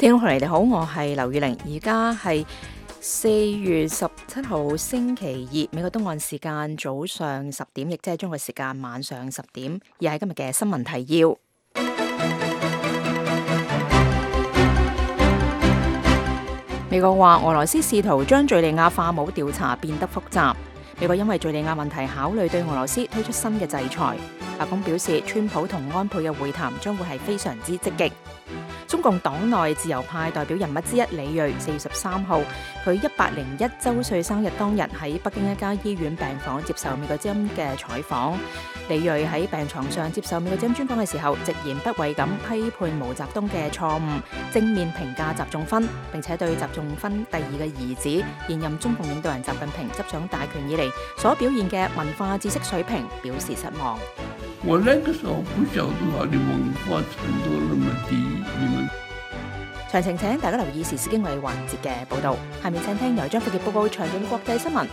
聽眾朋友你哋好，我係劉宇玲，而家係4月17號星期二，美國東岸時間早上10點，亦即係中國時間晚上10點，而係今日嘅新聞提要。美國話俄羅斯試圖將敘利亞化武調查變得複雜。美國因為敘利亞問題考慮對俄羅斯推出新嘅制裁。白宮表示，川普同安倍嘅會談將會係非常之積極。中共黨內自由派代表人物之一李銳4月13號，佢101週歲生日當日喺北京一家醫院病房接受美國之音嘅採訪。李銳喺病床上接受美國之音專訪嘅時候，直言不諱咁批判毛澤東嘅錯誤，正面評價習仲勳，並且對習仲勳第二嘅兒子現任中共領導人習近平執掌大權以嚟所表現嘅文化知識水平表示失望。我那個時候不曉得他的文化程度那麼低，你們詳情請大家留意時事經緯環節嘅報導。下面請聽由張富傑報告詳盡國際新聞。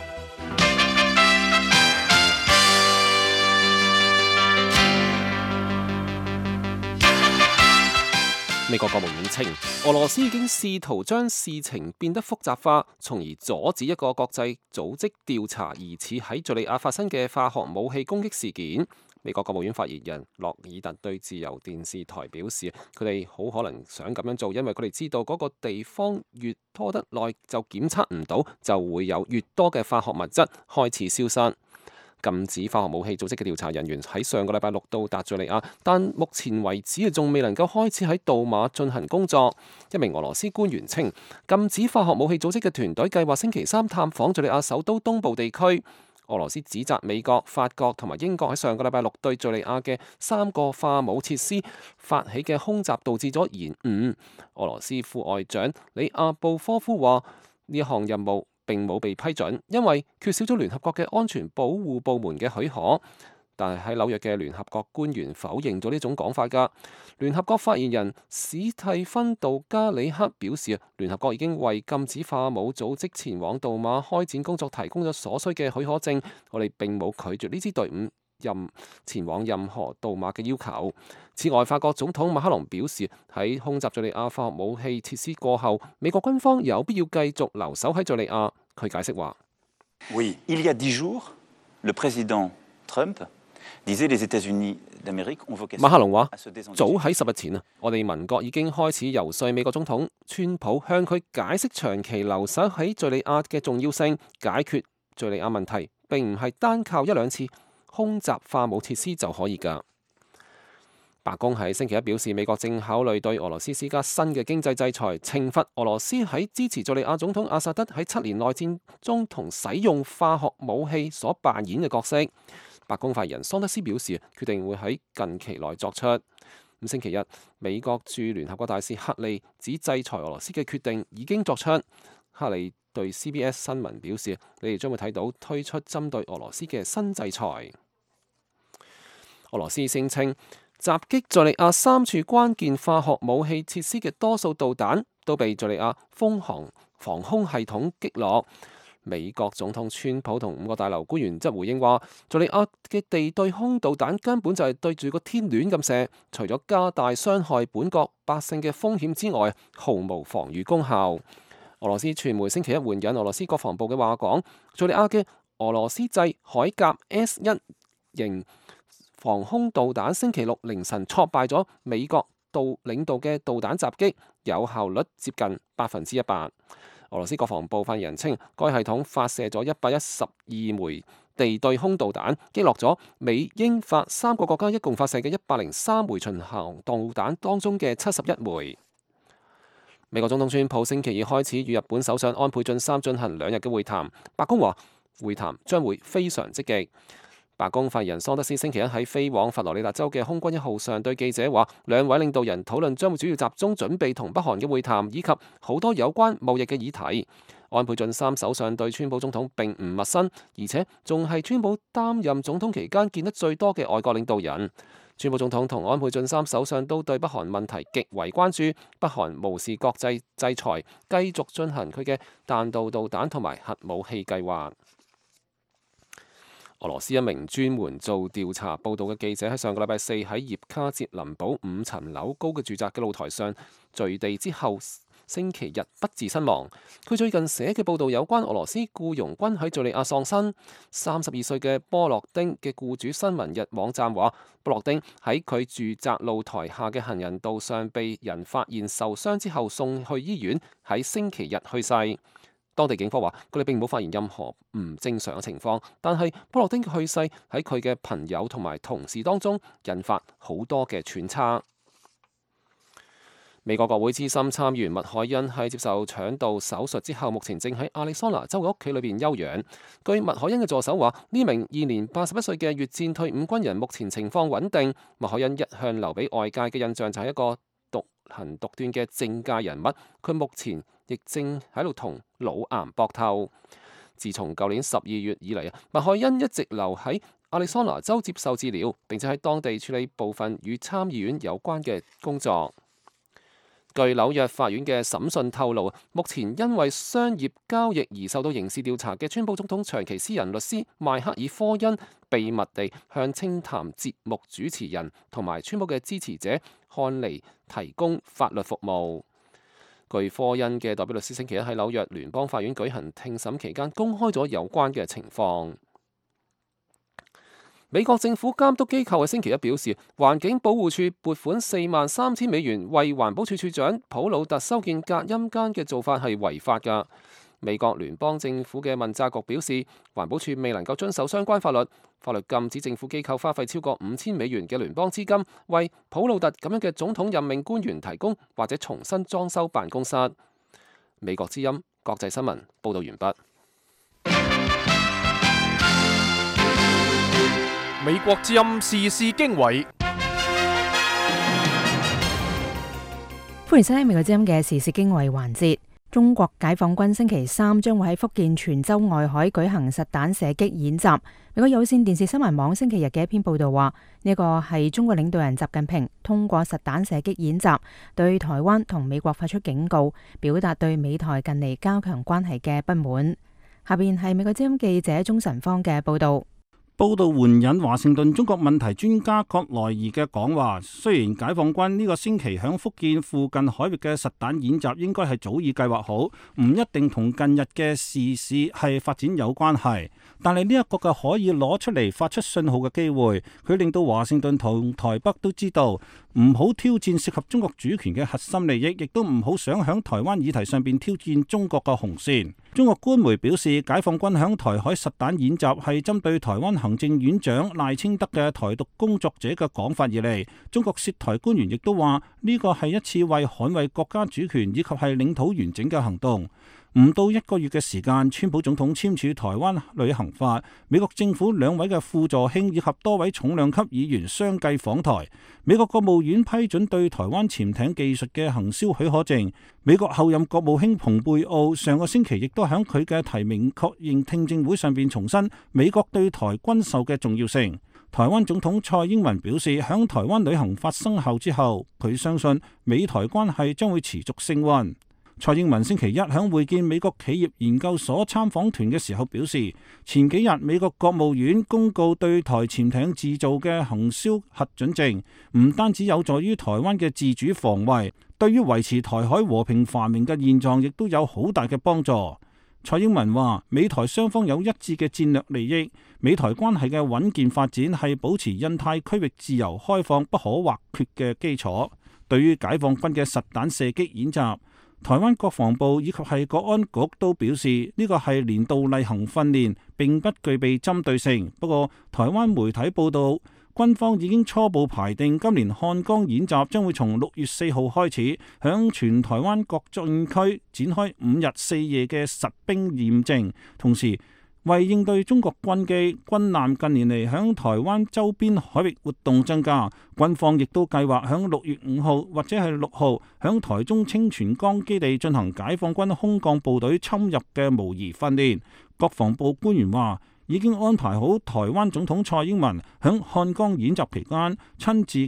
美國國務院稱，俄羅斯已經試圖將事情變得複雜化，從而阻止一個國際組織調查疑似喺敘利亞發生嘅化學武器攻擊事件。美國國務院發言人洛爾特對自由電視台表示，佢哋好可能想咁樣做，因為佢哋知道嗰個地方越拖得耐就檢測唔到，就會有越多嘅化學物質開始消失。禁止化學武器組織嘅調查人員喺上個禮拜六到達敘利亞，但目前為止仲未能夠開始喺杜馬進行工作。一名俄羅斯官員稱，禁止化學武器組織嘅團隊計劃星期三探訪敘利亞首都東部地區。俄羅斯指責美國、法國同埋英國喺上個禮拜六對敘利亞嘅3個化武設施發起嘅空襲導致咗延誤。俄羅斯副外長里亞布科夫話：呢項任務並冇被批准，因為缺少咗聯合國嘅安全保護部門嘅許可。但係喺紐約嘅聯合國官員否認咗呢種講法㗎。聯合國發言人史蒂芬杜加里克表示，聯合國已經為禁止化武組織前往杜馬開展工作提供咗所需嘅許可證，我哋並冇拒絕呢支隊伍前往任何杜馬嘅要求。此外，法國總統馬克龍表示，喺空襲敘利亞化學武器設施過後，美國軍方有必要繼續留守喺敘利亞。佢解釋話：Oui, il y a 10 jours, le président Trump馬克龍話：早喺10日前啊，我哋民國已經開始游說美國總統川普，向佢解釋長期留守喺敘利亞嘅重要性。解決敘利亞問題並唔係單靠1-2次空襲化武設施就可以㗎。白宮喺星期一表示，美國正考慮對俄羅斯施加新嘅經濟制裁，懲罰俄羅斯喺支持敘利亞總統阿薩德喺7年內戰中同使用化學武器所扮演嘅角色。白宮發言人桑德斯表示，決定會喺近期內作出。星期日，美國駐聯合國大使克利指制裁俄羅斯嘅決定已經作出。克利對 CBS 新聞表示，你哋將會睇到推出針對俄羅斯嘅新制裁。俄羅斯聲稱，襲擊敘利亞3處關鍵化學武器設施嘅多數導彈都被敘利亞風航防空系統擊落。美國總統川普同5個大樓官員則回應話，敘利亞嘅地對空導彈根本就係對住個天亂咁射，除咗加大傷害本國百姓嘅風險之外，毫無防禦功效。俄羅斯傳媒星期一援引俄羅斯國防部嘅話講，敘利亞嘅俄羅斯製海甲 S1 型防空導彈星期六凌晨挫敗咗美國領導嘅導彈襲擊，有效率接近100%。俄羅斯國防部發言人稱，該系統發射咗112枚地對空導彈，擊落咗美英法3個國家一共發射嘅103枚巡航導彈當中嘅71枚。美國總統川普星期二開始與日本首相安倍晉三進行2日嘅會談，白宮話會談將會非常積極。白宮發言人桑德斯星期一喺飛往佛羅里達州嘅空軍1號上對記者話，2位領導人討論將會主要集中準備同北韓嘅會談，以及好多有關貿易嘅議題。安倍晉三首相對川普總統並唔陌生，而且仲係川普擔任總統期間見得最多嘅外國領導人。川普總統同安倍晉三首相都對北韓問題極為關注，北韓無視國際制裁，繼續進行佢嘅彈道導彈同埋核武器計劃。俄羅斯一名專門做調查報導嘅記者喺上個禮拜四喺葉卡捷林堡5層樓高嘅住宅嘅露台上墜地之後，星期日不治身亡。佢最近寫嘅報導有關俄羅斯僱傭軍喺敘利亞喪生。32歲嘅波洛丁嘅僱主新聞日網站話，波洛丁喺佢住宅露台下嘅行人道上被人發現受傷之後送去醫院，喺星期日去世。當地警方話，佢哋並冇發現任何唔正常嘅情況，但係波洛丁嘅去世喺佢嘅朋友同埋同事當中引發好多嘅揣測。美國國會資深參議員麥凱恩喺接受腸道手術之後，目前正喺亞利桑那州嘅屋企裏邊休養。據麥凱恩嘅助手話，呢名現年81歲嘅越戰退伍軍人目前情況穩定。麥凱恩一向留俾外界嘅印象就係一個獨行獨斷嘅政界人物，佢目前亦正喺度同腦癌搏鬥。自從舊年12月以嚟，麥凱恩一直留喺亞利桑那州接受治療，並且喺當地處理部分與參議院有關嘅工作。據紐約法院嘅審訊透露，目前因為商業交易而受到刑事調查嘅川普總統長期私人律師邁克爾科恩，秘密地向清談節目主持人同埋川普嘅支持者漢尼提供法律服務。據科恩嘅代表律師星期一喺紐約聯邦法院舉行聽審期間，公開咗有關嘅情況。美國政府監督機構喺星期一表示，環境保護署撥款43000美元為環保署署長普魯特修建隔音間嘅做法係違法㗎。美國聯邦政府嘅問責局表示，環保署未能夠遵守相關法律，法律禁止政府機構花費超過5000美元嘅聯邦資金，為普魯特咁樣嘅總統任命官員提供或者重新裝修辦公室。美國之音國際新聞報道完畢。美國之音時事經緯，歡迎收聽美國之音嘅時事經緯環節。中國解放軍星期三將會喺福建泉州外海舉行實彈射擊演習。美國有線電視新聞網星期日嘅一篇報道話，呢個係中國領導人習近平通過實彈射擊演習，對台灣同美國發出警告，表達對美台近嚟加強關係嘅不滿。下邊係美國之音記者鍾晨芳嘅報道。報道援引華盛頓中國問題專家葛萊儀嘅講話，雖然解放軍呢個星期響福建附近海域嘅實彈演習應該係早已計劃好，唔一定同近日嘅時事係發展有關係，但係呢一個嘅可以攞出嚟發出信號嘅機會，佢令到華盛頓同台北都知道唔好挑戰涉及中國主權嘅核心利益，亦都唔好想響台灣議題上邊挑戰中國嘅紅線。中國官媒表示，解放軍響台海實彈演習係針對台灣行政院長賴清德嘅台獨工作者嘅講法而嚟。中國涉台官員亦都話呢個係一次為捍衛國家主權以及係領土完整嘅行動。唔到1個月嘅時間，川普總統簽署台灣旅行法，美國政府2位嘅副助卿以及多位重量級議員相繼訪台。美國國務院批准對台灣潛艇技術嘅行銷許可證。美國後任國務卿蓬佩奧上個星期亦都喺佢嘅提名確認聽證會上邊重申美國對台軍售嘅重要性。台灣總統蔡英文表示，響台灣旅行法生效之後，佢相信美台關係將會持續升溫。蔡英文星期一響會見美國企業研究所參訪團嘅時候表示，前幾日美國國務院公告對台潛艇製造嘅行銷核准證，唔單止有助於台灣嘅自主防衛，對於維持台海和平繁榮嘅現狀亦都有好大嘅幫助。蔡英文話，美台雙方有一致嘅戰略利益，美台關係嘅穩健發展係保持印太區域自由開放不可或缺嘅基礎。對於解放軍嘅實彈射擊演習，台灣國防部以及係國安局都表示呢個係年度例行訓練，並不具備針對性。不過台灣媒體報道，軍方已經初步排定今年漢江演習將會從6月4號開始，響全台灣各戰區展開5日4夜嘅實兵驗證，同時為應對中國軍機、軍艦近年嚟響台灣周邊海域活動增加，軍方亦都計劃響6月5號或者係6號響台中清泉崗基地進行解放軍空降部隊侵入嘅模擬訓練。國防部官員話，已經安排好台灣總統蔡英文響漢江演習期間親自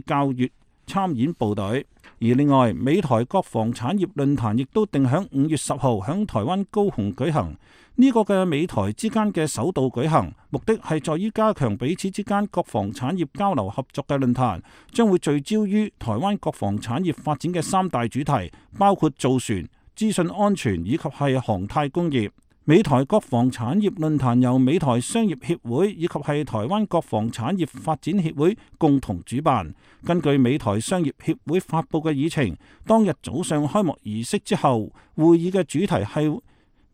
參演部隊。而另外，美台國防產業論壇亦都定喺5月10號喺台灣高雄舉行。呢個嘅美台之間嘅首度舉行，目的係在於加強彼此之間國防產業交流合作嘅論壇，將會聚焦於台灣國防產業發展嘅3大主題，包括造船、資訊安全以及係航太工業。美台國防產業論壇由美台商業協會以及係台灣國防產業發展協會共同主辦。根據美台商業協會發佈嘅議程，當日早上開幕儀式之後，會議嘅主題係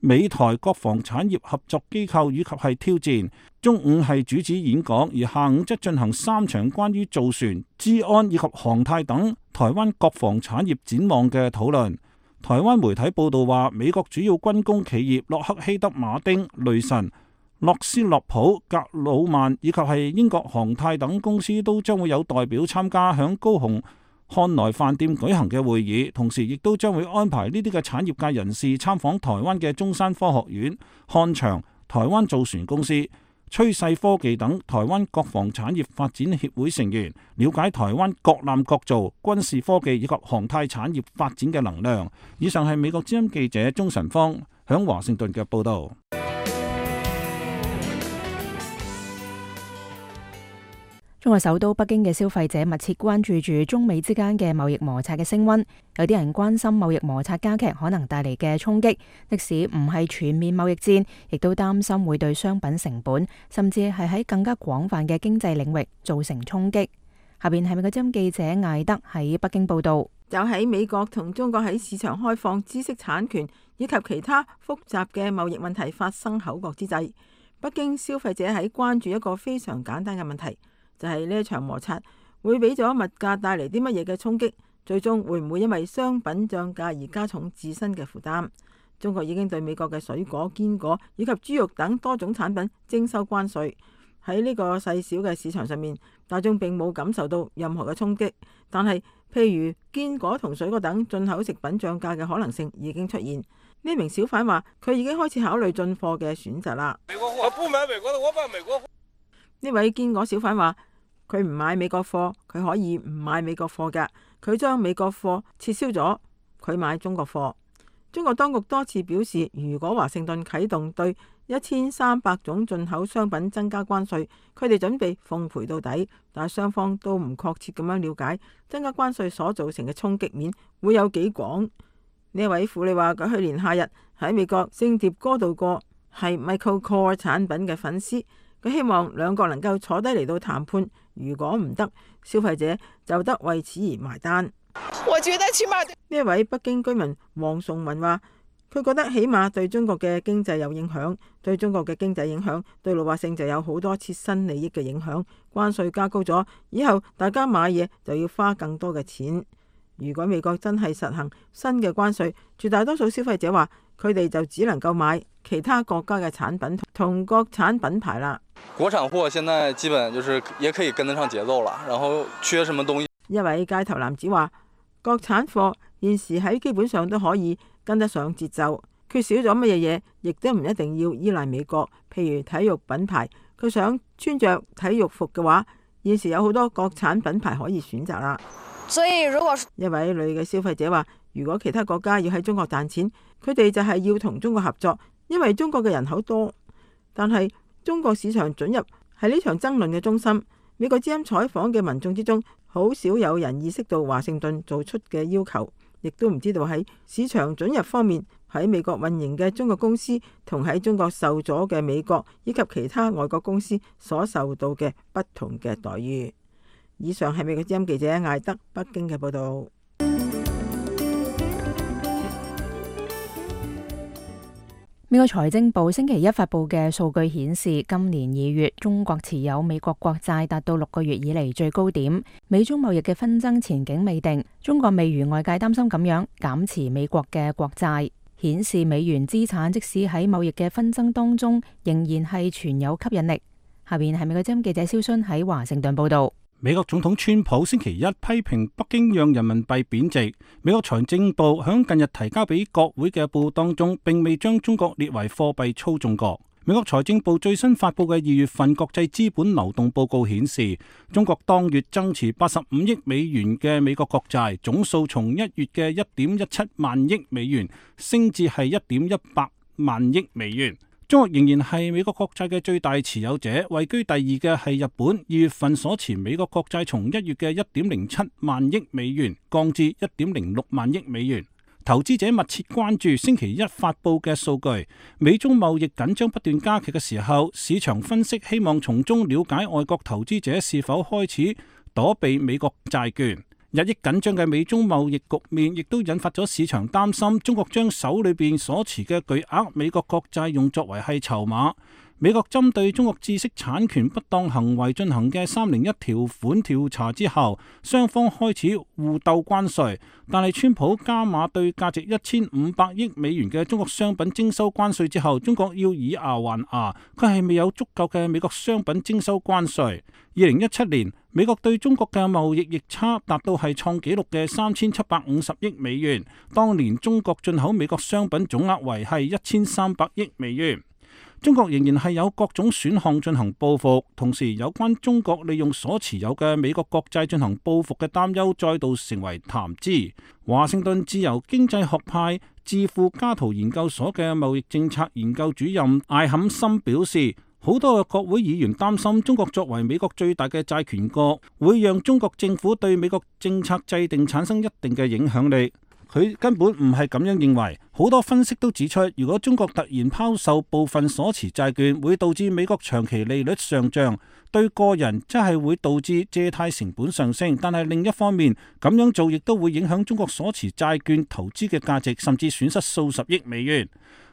美台國防產業合作機構以及係挑戰。中午係主旨演講，而下午則進行3場關於造船、資安以及航太等台灣國防產業展望嘅討論。台灣媒體報道話，美國主要軍工企業洛克希德馬丁、雷神、諾斯洛普、格魯曼以及係英國航太等公司都將會有代表參加響高雄漢來飯店舉行嘅會議，同時亦都將會安排呢啲嘅產業界人士參訪台灣嘅中山科學院、漢翔、台灣造船公司、趨勢科技等台灣國防產業發展協會成員，了解台灣各艦各造、軍事科技以及航太產業發展嘅能量。以上係美國之音記者鍾晨芳響華盛頓嘅報道。中國首都北京嘅消費者密切關注住中美之間嘅貿易摩擦嘅升溫，有啲人關心貿易摩擦加劇可能帶嚟嘅衝擊，即使唔係全面貿易戰，亦都擔心會對商品成本，甚至係喺更加廣泛嘅經濟領域造成衝擊。下邊係美國之音記者艾德喺北京報道。就喺美國同中國喺市場開放、知識產權以及其他複雜嘅貿易問題發生口角之際，北京消費者喺關注一個非常簡單嘅問題。就係呢一場摩擦會俾咗物價帶嚟啲乜嘢嘅衝擊，最終會唔會因為商品漲價而加重自身嘅負擔？中國已經對美國嘅水果、堅果以及豬肉等多種產品徵收關稅。喺呢個細小嘅市場上面，大眾並冇感受到任何嘅衝擊，但係譬如堅果同水果等進口食品漲價嘅可能性已經出現。呢名小販話佢已經開始考慮進貨嘅選擇啦。美國貨，我不買美國的，我買美國貨。呢位堅果小販話佢唔買美國貨，佢可以唔買美國貨㗎，佢將美國貨撤銷咗，佢買中國貨。中國當局多次表示，如果華盛頓啟動對1300種進口商品增加關稅，佢哋準備奉陪到底，但係雙方都唔確切咁樣了解增加關稅所造成嘅衝擊面會有幾廣。呢位婦女話佢去年夏日喺美國聖迭戈度過，係 Michael Kors 產品嘅粉絲。佢希望兩國能夠坐低嚟到談判，如果唔得，消費者就得為此而埋單。我覺得起碼呢一位北京居民黃崇文話，佢覺得起碼對中國嘅經濟有影響，對中國嘅經濟影響對老百姓就有好多切身利益嘅影響。關稅加高咗，以後大家買嘢就要花更多嘅錢。如果美國真係實行新嘅關稅，絕大多數消費者話佢哋就只能夠買其他國家嘅產品同國產品牌啦。國產貨現在基本就是也可以跟得上節奏了，然後缺什麼東西。一位街頭男子話，國產貨現時喺基本上都可以跟得上節奏，缺少咗乜嘢嘢，亦都唔一定要依賴美國。譬如體育品牌，佢想穿着體育服嘅話，現時有好多國產品牌可以選擇啦。所以如果一位女嘅消費者話，如果其他國家要喺中國賺錢，佢哋就係要同中國合作，因為中國嘅人口多。但係中國市場准入係呢場爭論嘅中心。美國之音採訪嘅民眾之中，好少有人意識到華盛頓做出嘅要求，亦都唔知道喺市場准入方面，喺美國運營嘅中國公司同喺中國受咗嘅美國以及其他外國公司所受到嘅不同嘅待遇。以上係美國之音記者艾德北京嘅報道。美國財政部星期一發布嘅數據顯示，今年2月中國持有美國國債達到6個月以嚟最高點。美中貿易嘅紛爭前景未定，中國未如外界擔心咁樣減持美國嘅國債，顯示美元資產即使喺貿易嘅紛爭當中，仍然係存有吸引力。下邊係美國之音記者蕭순喺華盛頓報道。美國總統川普星期一批評北京讓人民幣貶值。美國財政部響近日提交俾國會嘅報告當中，並未將中國列為貨幣操縱國。美國財政部最新發布嘅2月份國際資本流動報告顯示，中國當月增持85億美元嘅美國國債，總數從1月嘅1.17萬億美元升至係1.18萬億美元。中國仍然係美國國債嘅最大持有者，位居第二嘅係日本。2月份所持美國國債從1月嘅1.07萬億美元降至1.06萬億美元。投資者密切關注星期一發佈嘅數據，美中貿易緊張不斷加劇嘅時候，市場分析希望從中了解外國投資者是否開始躲避美國債券。日益緊張嘅美中貿易局面亦都引發咗市場擔心，中國將手裏邊所持嘅巨額美國國債用作為係籌碼。美國針對中國知識產權不當行為進行嘅301條款調查之後，雙方開始互鬥關稅，但係川普加碼對價值1500億美元嘅中國商品徵收關稅之後，中國要以牙還牙，佢係未有足夠嘅美國商品徵收關稅。2017年，美國對中國嘅貿易逆差達到係創紀錄嘅3750億美元，當年中國進口美國商品總額為係1300億美元。中國仍然係有各種選項進行報復，同時有關中國利用所持有嘅美國國債進行報復嘅擔憂再度成為談資。華盛頓自由經濟學派智庫加圖研究所嘅貿易政策研究主任艾坎森表示，好多嘅國會議員擔心中國作為美國最大嘅債權國，會讓中國政府對美國政策制定產生一定嘅影響力。佢根本唔係咁樣認為，好多分析都指出，如果中國突然拋售部分所持債券，會導致美國長期利率上漲，對個人即係會導致借貸成本上升。但係另一方面，咁樣做亦都會影響中國所持債券投資嘅價值，甚至損失數十億美元。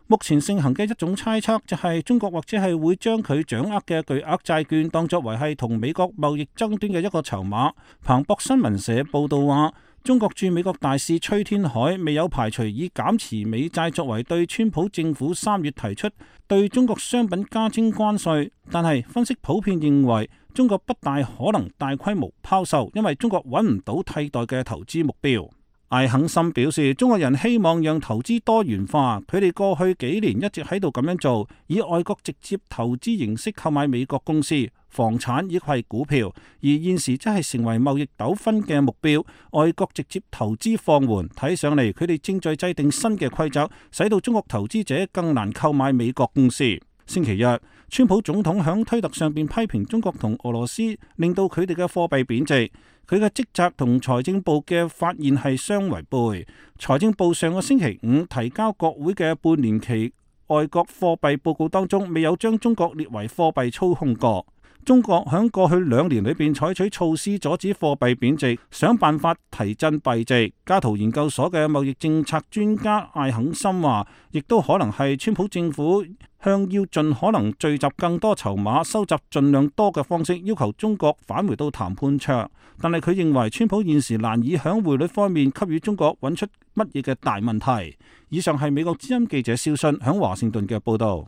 目前盛行嘅一種猜測就係中國或者係會將佢掌握嘅巨額債券當作為係同美國貿易爭端嘅一個籌碼。彭博新聞社報道話，中國駐美國大使崔天凱未有排除以減持美債作為對川普政府3月提出對中國商品加徵關稅，但係分析普遍認為中國不大可能大規模拋售，因為中國揾唔到替代嘅投資目標。艾肯森表示，中國人希望讓投資多元化，佢哋過去幾年一直喺度咁樣做，以外國直接投資形式購買美國公司、房產亦係股票，而現時則係成為貿易糾紛嘅目標。外國直接投資放緩，睇上嚟佢哋正在制定新嘅規則，使到中國投資者更難購買美國公司。星期日，川普總統響推特上邊批評中國同俄羅斯，令到佢哋嘅貨幣貶值。佢嘅職責同財政部嘅發現係相違背。財政部上個星期五提交國會嘅半年期外國貨幣報告當中，未有將中國列為貨幣操控國。中國喺過去2年裏邊採取措施阻止貨幣貶值，想辦法提振幣值。加圖研究所嘅貿易政策專家艾肯森話，亦都可能係川普政府向要盡可能聚集更多籌碼、收集盡量多嘅方式，要求中國返回到談判桌。但係佢認為川普現時難以喺匯率方面給予中國揾出乜嘢嘅大問題。以上係美國之音記者蕭信喺華盛頓嘅報導。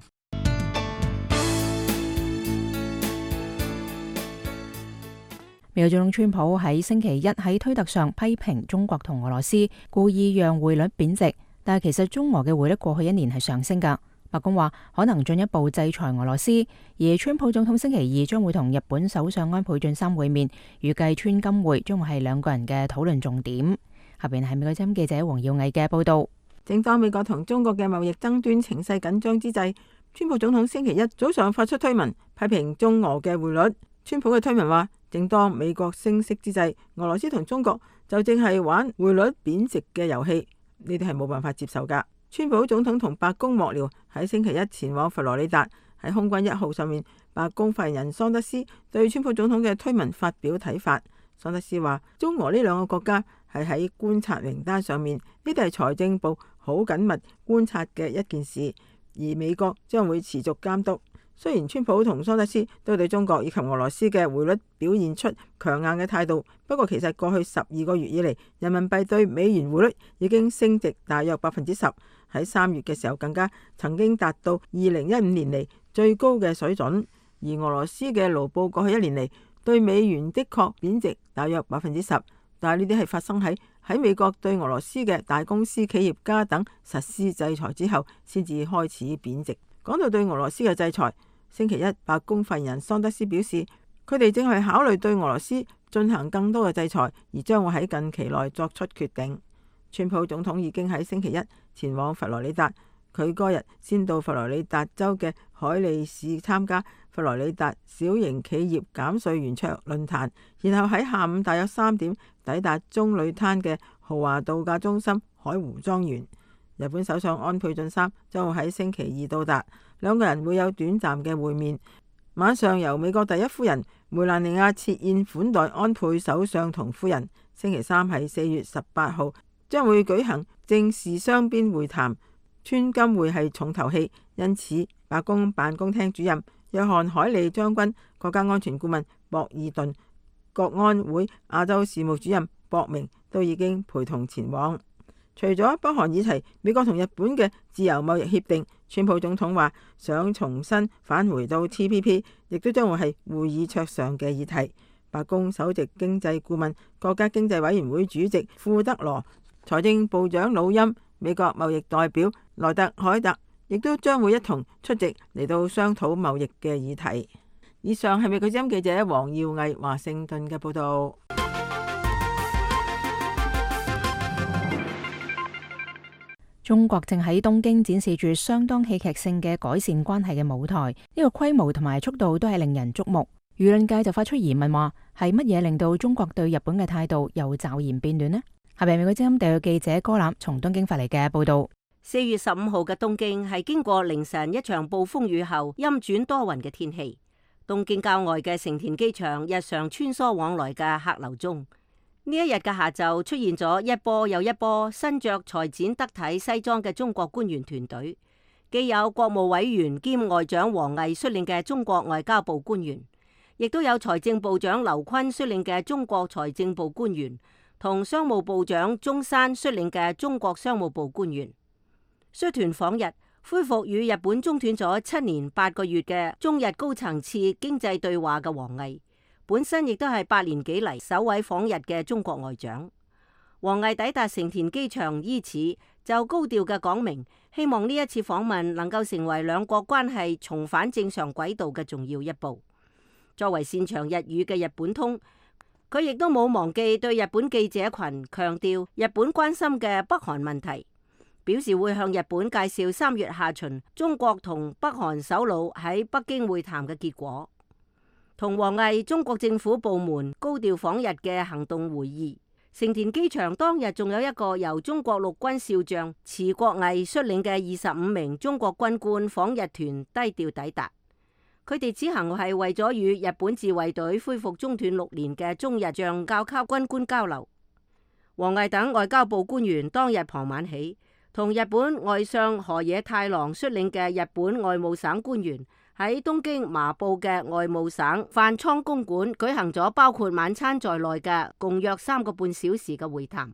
美國總統川普喺星期一喺推特上批評中國同俄羅斯故意讓匯率貶值，但係其實中俄嘅匯率過去1年係上升㗎。白宮話可能進一步制裁俄羅斯，而川普總統星期二將會同日本首相安倍晉三會面，預計川金會將會係兩個人嘅討論重點。下邊係美國之音記者黃耀毅嘅報道。正當美國同中國嘅貿易爭端情勢緊張之際，川普總統星期一早上發出推文批評中俄嘅匯率。川普嘅推文話，正當美國升息之際，俄羅斯同中國就正係玩匯率貶值嘅遊戲，呢啲係冇辦法接受噶。川普總統同白宮幕僚喺星期一前往佛羅里達，喺空軍1號上面，白宮發言人桑德斯對川普總統嘅推文發表睇法。桑德斯話，中俄呢兩個國家係喺觀察名單上面，呢啲係財政部好緊密觀察嘅一件事，而美國將會持續監督。雖然川普同桑德斯都對中國以及俄羅斯嘅匯率表現出強硬嘅態度，不過其實過去12個月以嚟，人民幣對美元匯率已經升值大約10%，喺3月嘅時候更加曾經達到2015年嚟最高嘅水準。而俄羅斯嘅盧布過去1年嚟對美元的確貶值大約10%，但係呢啲係發生喺美國對俄羅斯嘅大公司企業家等實施制裁之後先至開始貶值。講到對俄羅斯嘅制裁，星期一白宮發言人桑德斯表示，佢哋正係考慮對俄羅斯進行更多嘅制裁，而將會喺近期內作出決定。川普總統已經喺星期一前往佛羅里達，佢嗰日先到佛羅里達州嘅海利市參加佛羅里達小型企業減稅圓桌論壇，然後喺下午大約3點抵達棕櫚灘嘅豪華度假中心海湖莊園。日本首相安倍晉三將會喺星期二到達，兩個人會有短暫嘅會面。晚上由美國第一夫人梅蘭妮亞設宴款待安倍首相同夫人。星期三係4月18號，將會舉行正式雙邊會談。川金會係重頭戲，因此白宮辦公廳主任約翰海利將軍、國家安全顧問博爾頓、國安會亞洲事務主任博明都已經陪同前往。除咗北韓議題，美國同日本嘅自由貿易協定，川普總統話想重新返回到 TPP， 亦都將會係會議桌上嘅議題。白宮首席經濟顧問、國家經濟委員會主席庫德羅、財政部長魯欽、美國貿易代表萊特海特亦都將會一同出席嚟到商討貿易嘅議題。以上係美國之音記者黃耀毅華盛頓嘅報道。中國正喺東京展示住相當戲劇性嘅改善關係嘅舞台，呢個規模同埋速度都係令人矚目。輿論界就發出疑問話，係乜嘢令到中國對日本嘅態度又驟然變暖呢？係咪美國之音特約記者柯南從東京發嚟嘅報道？4月15號嘅東京係經過凌晨一場暴風雨後陰轉多雲嘅天氣。東京郊外嘅成田機場日常穿梭往來嘅客流中，呢一日嘅下晝出現咗一波又一波身着裁剪得體西裝嘅中國官員團隊，既有國務委員兼外長王毅率領嘅中國外交部官員，亦都有財政部長劉昆率領嘅中國財政部官員，同商務部長中山率領嘅中國商務部官員。率團訪日，恢復與日本中斷咗7年8個月嘅中日高層次經濟對話嘅王毅，本身亦都係8年幾嚟首位訪日嘅中國外長。王毅抵達成田機場伊始，就高調嘅講明，希望呢一次訪問能夠成為兩國關係重返正常軌道嘅重要一步。作為擅長日語嘅日本通，佢亦都冇忘記對日本記者群強調日本關心嘅北韓問題，表示會向日本介紹3月下旬中國同北韓首腦喺北京會談嘅結果。同王毅中國政府部門高調訪日嘅行動會議，成田機場當日仲有一個由中國陸軍少將池國毅率領嘅25名中國軍官訪日團低調抵達。佢哋此行係為咗與日本自衛隊恢復中斷6年嘅中日將校級軍官交流。王毅等外交部官員當日傍晚起，同日本外相河野太郎率領嘅日本外務省官員喺東京麻布嘅外務省飯倉公館舉行咗包括晚餐在內嘅共約3個半小時嘅會談。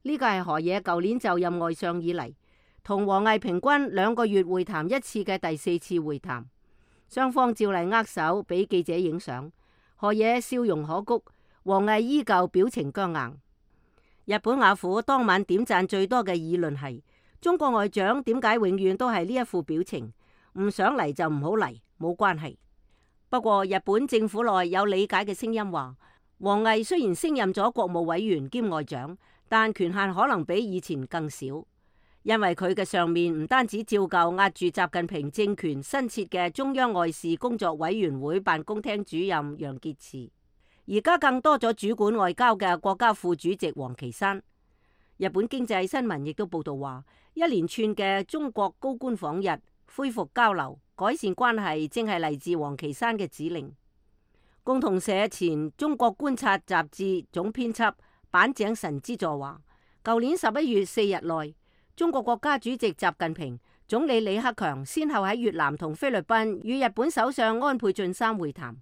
呢個係河野舊年就任外相以嚟同王毅平均2個月會談1次嘅第4次會談。雙方照例握手俾記者影相，河野笑容可掬，王毅依舊表情僵硬。日本雅虎當晚點讚最多嘅議論係：中國外長點解永遠都係呢一副表情？唔想嚟就唔好嚟，冇關係。不過日本政府內有理解嘅聲音話，王毅雖然升任咗國務委員兼外長，但權限可能比以前更少，因為佢嘅上面唔單止照舊壓住習近平政權新設嘅中央外事工作委員會辦公廳主任楊潔篪，而家更多咗主管外交嘅國家副主席王岐山。日本經濟新聞亦都報道話，一連串嘅中國高官訪日，恢復交流、改善關係，正係嚟自王岐山嘅指令。共同社前中國觀察雜誌總編輯板井神之助話，舊年11月4日內，中國國家主席習近平、總理李克強先後喺越南同菲律賓與日本首相安倍晉三會談，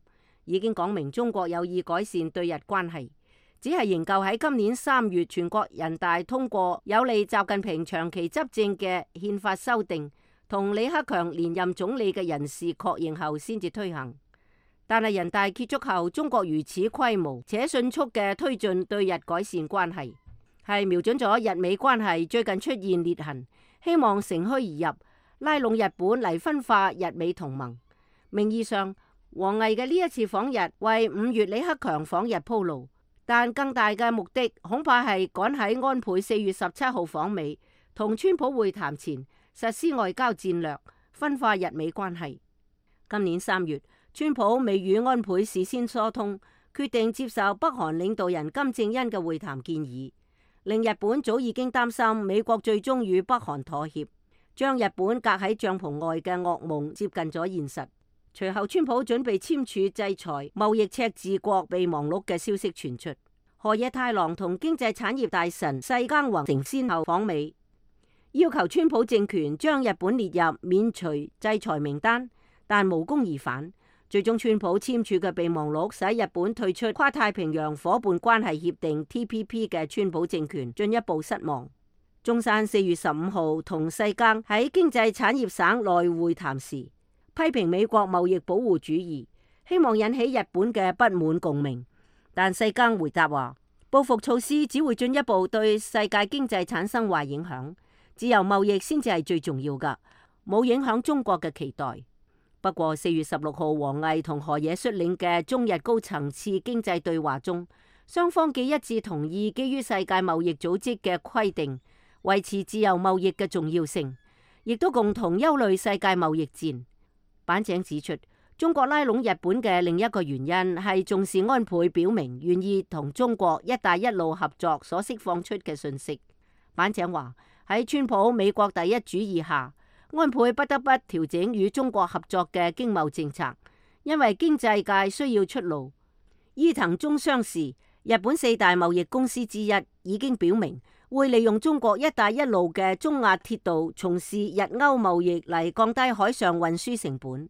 已經講明中國有意改善對日關係，只係仍舊喺今年3月全國人大通過有利習近平長期執政嘅憲法修訂，同李克強連任總理嘅人事確認後先至推行。但係人大結束後，中國如此規模且迅速嘅推進對日改善關係，係瞄準咗日美關係最近出現裂痕，希望乘虛而入，拉攏日本嚟分化日美同盟。名義上，王毅嘅呢一次訪日為5月李克強訪日鋪路，但更大嘅目的恐怕係趕喺安倍4月17號訪美，同川普會談前實施外交戰略，分化日美關係。今年3月，川普未與安倍事先疏通，決定接受北韓領導人金正恩嘅會談建議，令日本早已經擔心美國最終與北韓妥協，將日本隔喺帳篷外嘅噩夢接近咗現實。隨後，川普準備簽署制裁貿易赤字國備忘錄嘅消息傳出。河野太郎同經濟產業大臣世耕弘成先後訪美，要求川普政權將日本列入免除制裁名單，但無功而返。最終，川普簽署嘅備忘錄使日本退出跨太平洋夥伴關係協定 TPP 嘅川普政權進一步失望。中山4月15號同世耕喺經濟產業省內會談時，批評美國貿易保護主義，希望引起日本嘅不滿共鳴。但世耕回答話，報復措施只會進一步對世界經濟產生壞影響，自由貿易先至係最重要㗎，冇影響中國嘅期待。不過4月16號，王毅同河野率領嘅中日高層次經濟對話中，雙方既一致同意基於世界貿易組織嘅規定，維持自由貿易嘅重要性，亦都共同憂慮世界貿易戰。板井指出，中國拉攏日本嘅另一個原因係重視安倍表明願意同中國一帶一路合作所釋放出嘅訊息。板井話，喺川普美國第一主義下，安倍不得不調整與中國合作嘅經貿政策，因為經濟界需要出路。伊藤忠商事，日本4大貿易公司之一，已經表明會利用中國一帶一路嘅中亞鐵道從事日歐貿易嚟降低海上運輸成本。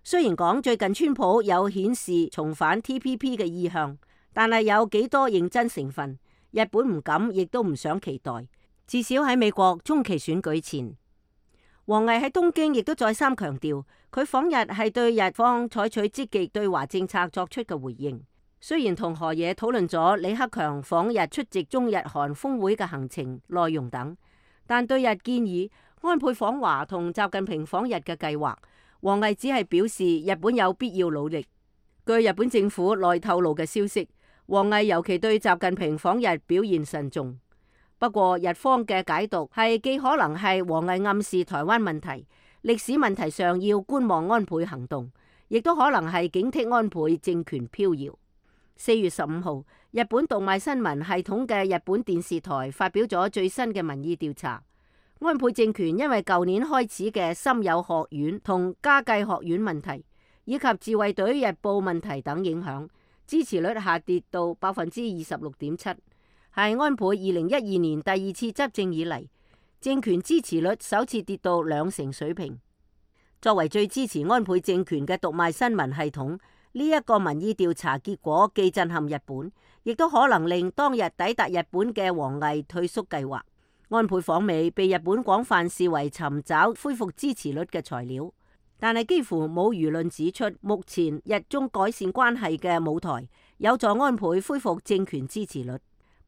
雖然講最近川普有顯示重返 TPP 嘅意向，但係有幾多認真成分，日本唔敢亦都唔想期待。至少喺美國中期選舉前，王毅喺東京亦都再三強調，佢訪日係對日方採取積極對華政策作出嘅回應。雖然同河野討論咗李克強訪日出席中日韓峰會嘅行程內容等，但對日建議安倍訪華同習近平訪日嘅計劃，王毅只係表示日本有必要努力。據日本政府內透露嘅消息，王毅尤其對習近平訪日表現慎重。不過日方嘅解讀係既可能係王毅暗示台灣問題、歷史問題上要觀望安倍行動，亦都可能係警惕安倍政權飄搖。4月15號，日本讀賣新聞系統嘅日本電視台發表咗最新嘅民意調查。安倍政權因為舊年開始嘅森友學院同加計學院問題，以及自衛隊日報問題等影響，支持率下跌到 26.7%， 係安倍2012年第2次執政以嚟，政權支持率首次跌到2成水平。作為最支持安倍政權嘅讀賣新聞系統，呢一個民意調查結果既震撼日本，亦都可能令當日抵達日本嘅王毅退縮計劃。安倍訪美被日本廣泛視為尋找恢復支持率嘅材料，但係幾乎冇輿論指出目前日中改善關係嘅舞台有助安倍恢復政權支持率。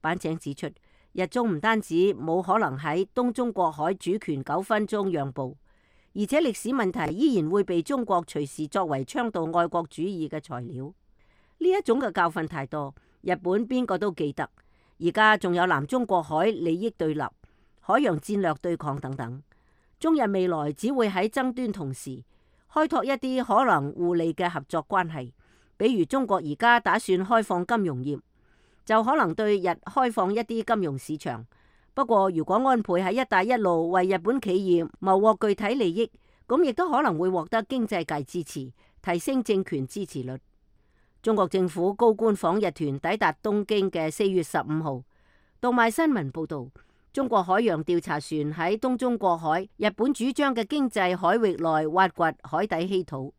板井指出，日中唔單止冇可能喺東中國海主權糾紛中讓步，而且歷史問題依然會被中國隨時作為倡導愛國主義嘅材料。呢一種嘅教訓太多，日本邊個都記得。而家仲有南中國海利益對立、海洋戰略對抗等等，中日未來只會喺爭端同時開拓一啲可能互利嘅合作關係。比如中國而家打算開放金融業，就可能對日開放一啲金融市場。不過如果安倍喺一帶一路為日本企業謀獲具體利益，咁亦都可能會獲得經濟界支持，提升政權支持率。中國政府高官訪日團抵達東京嘅4月15號，讀賣新聞報道，中國海洋調查船喺東中國海日本主張嘅經濟海域內挖掘海底稀土。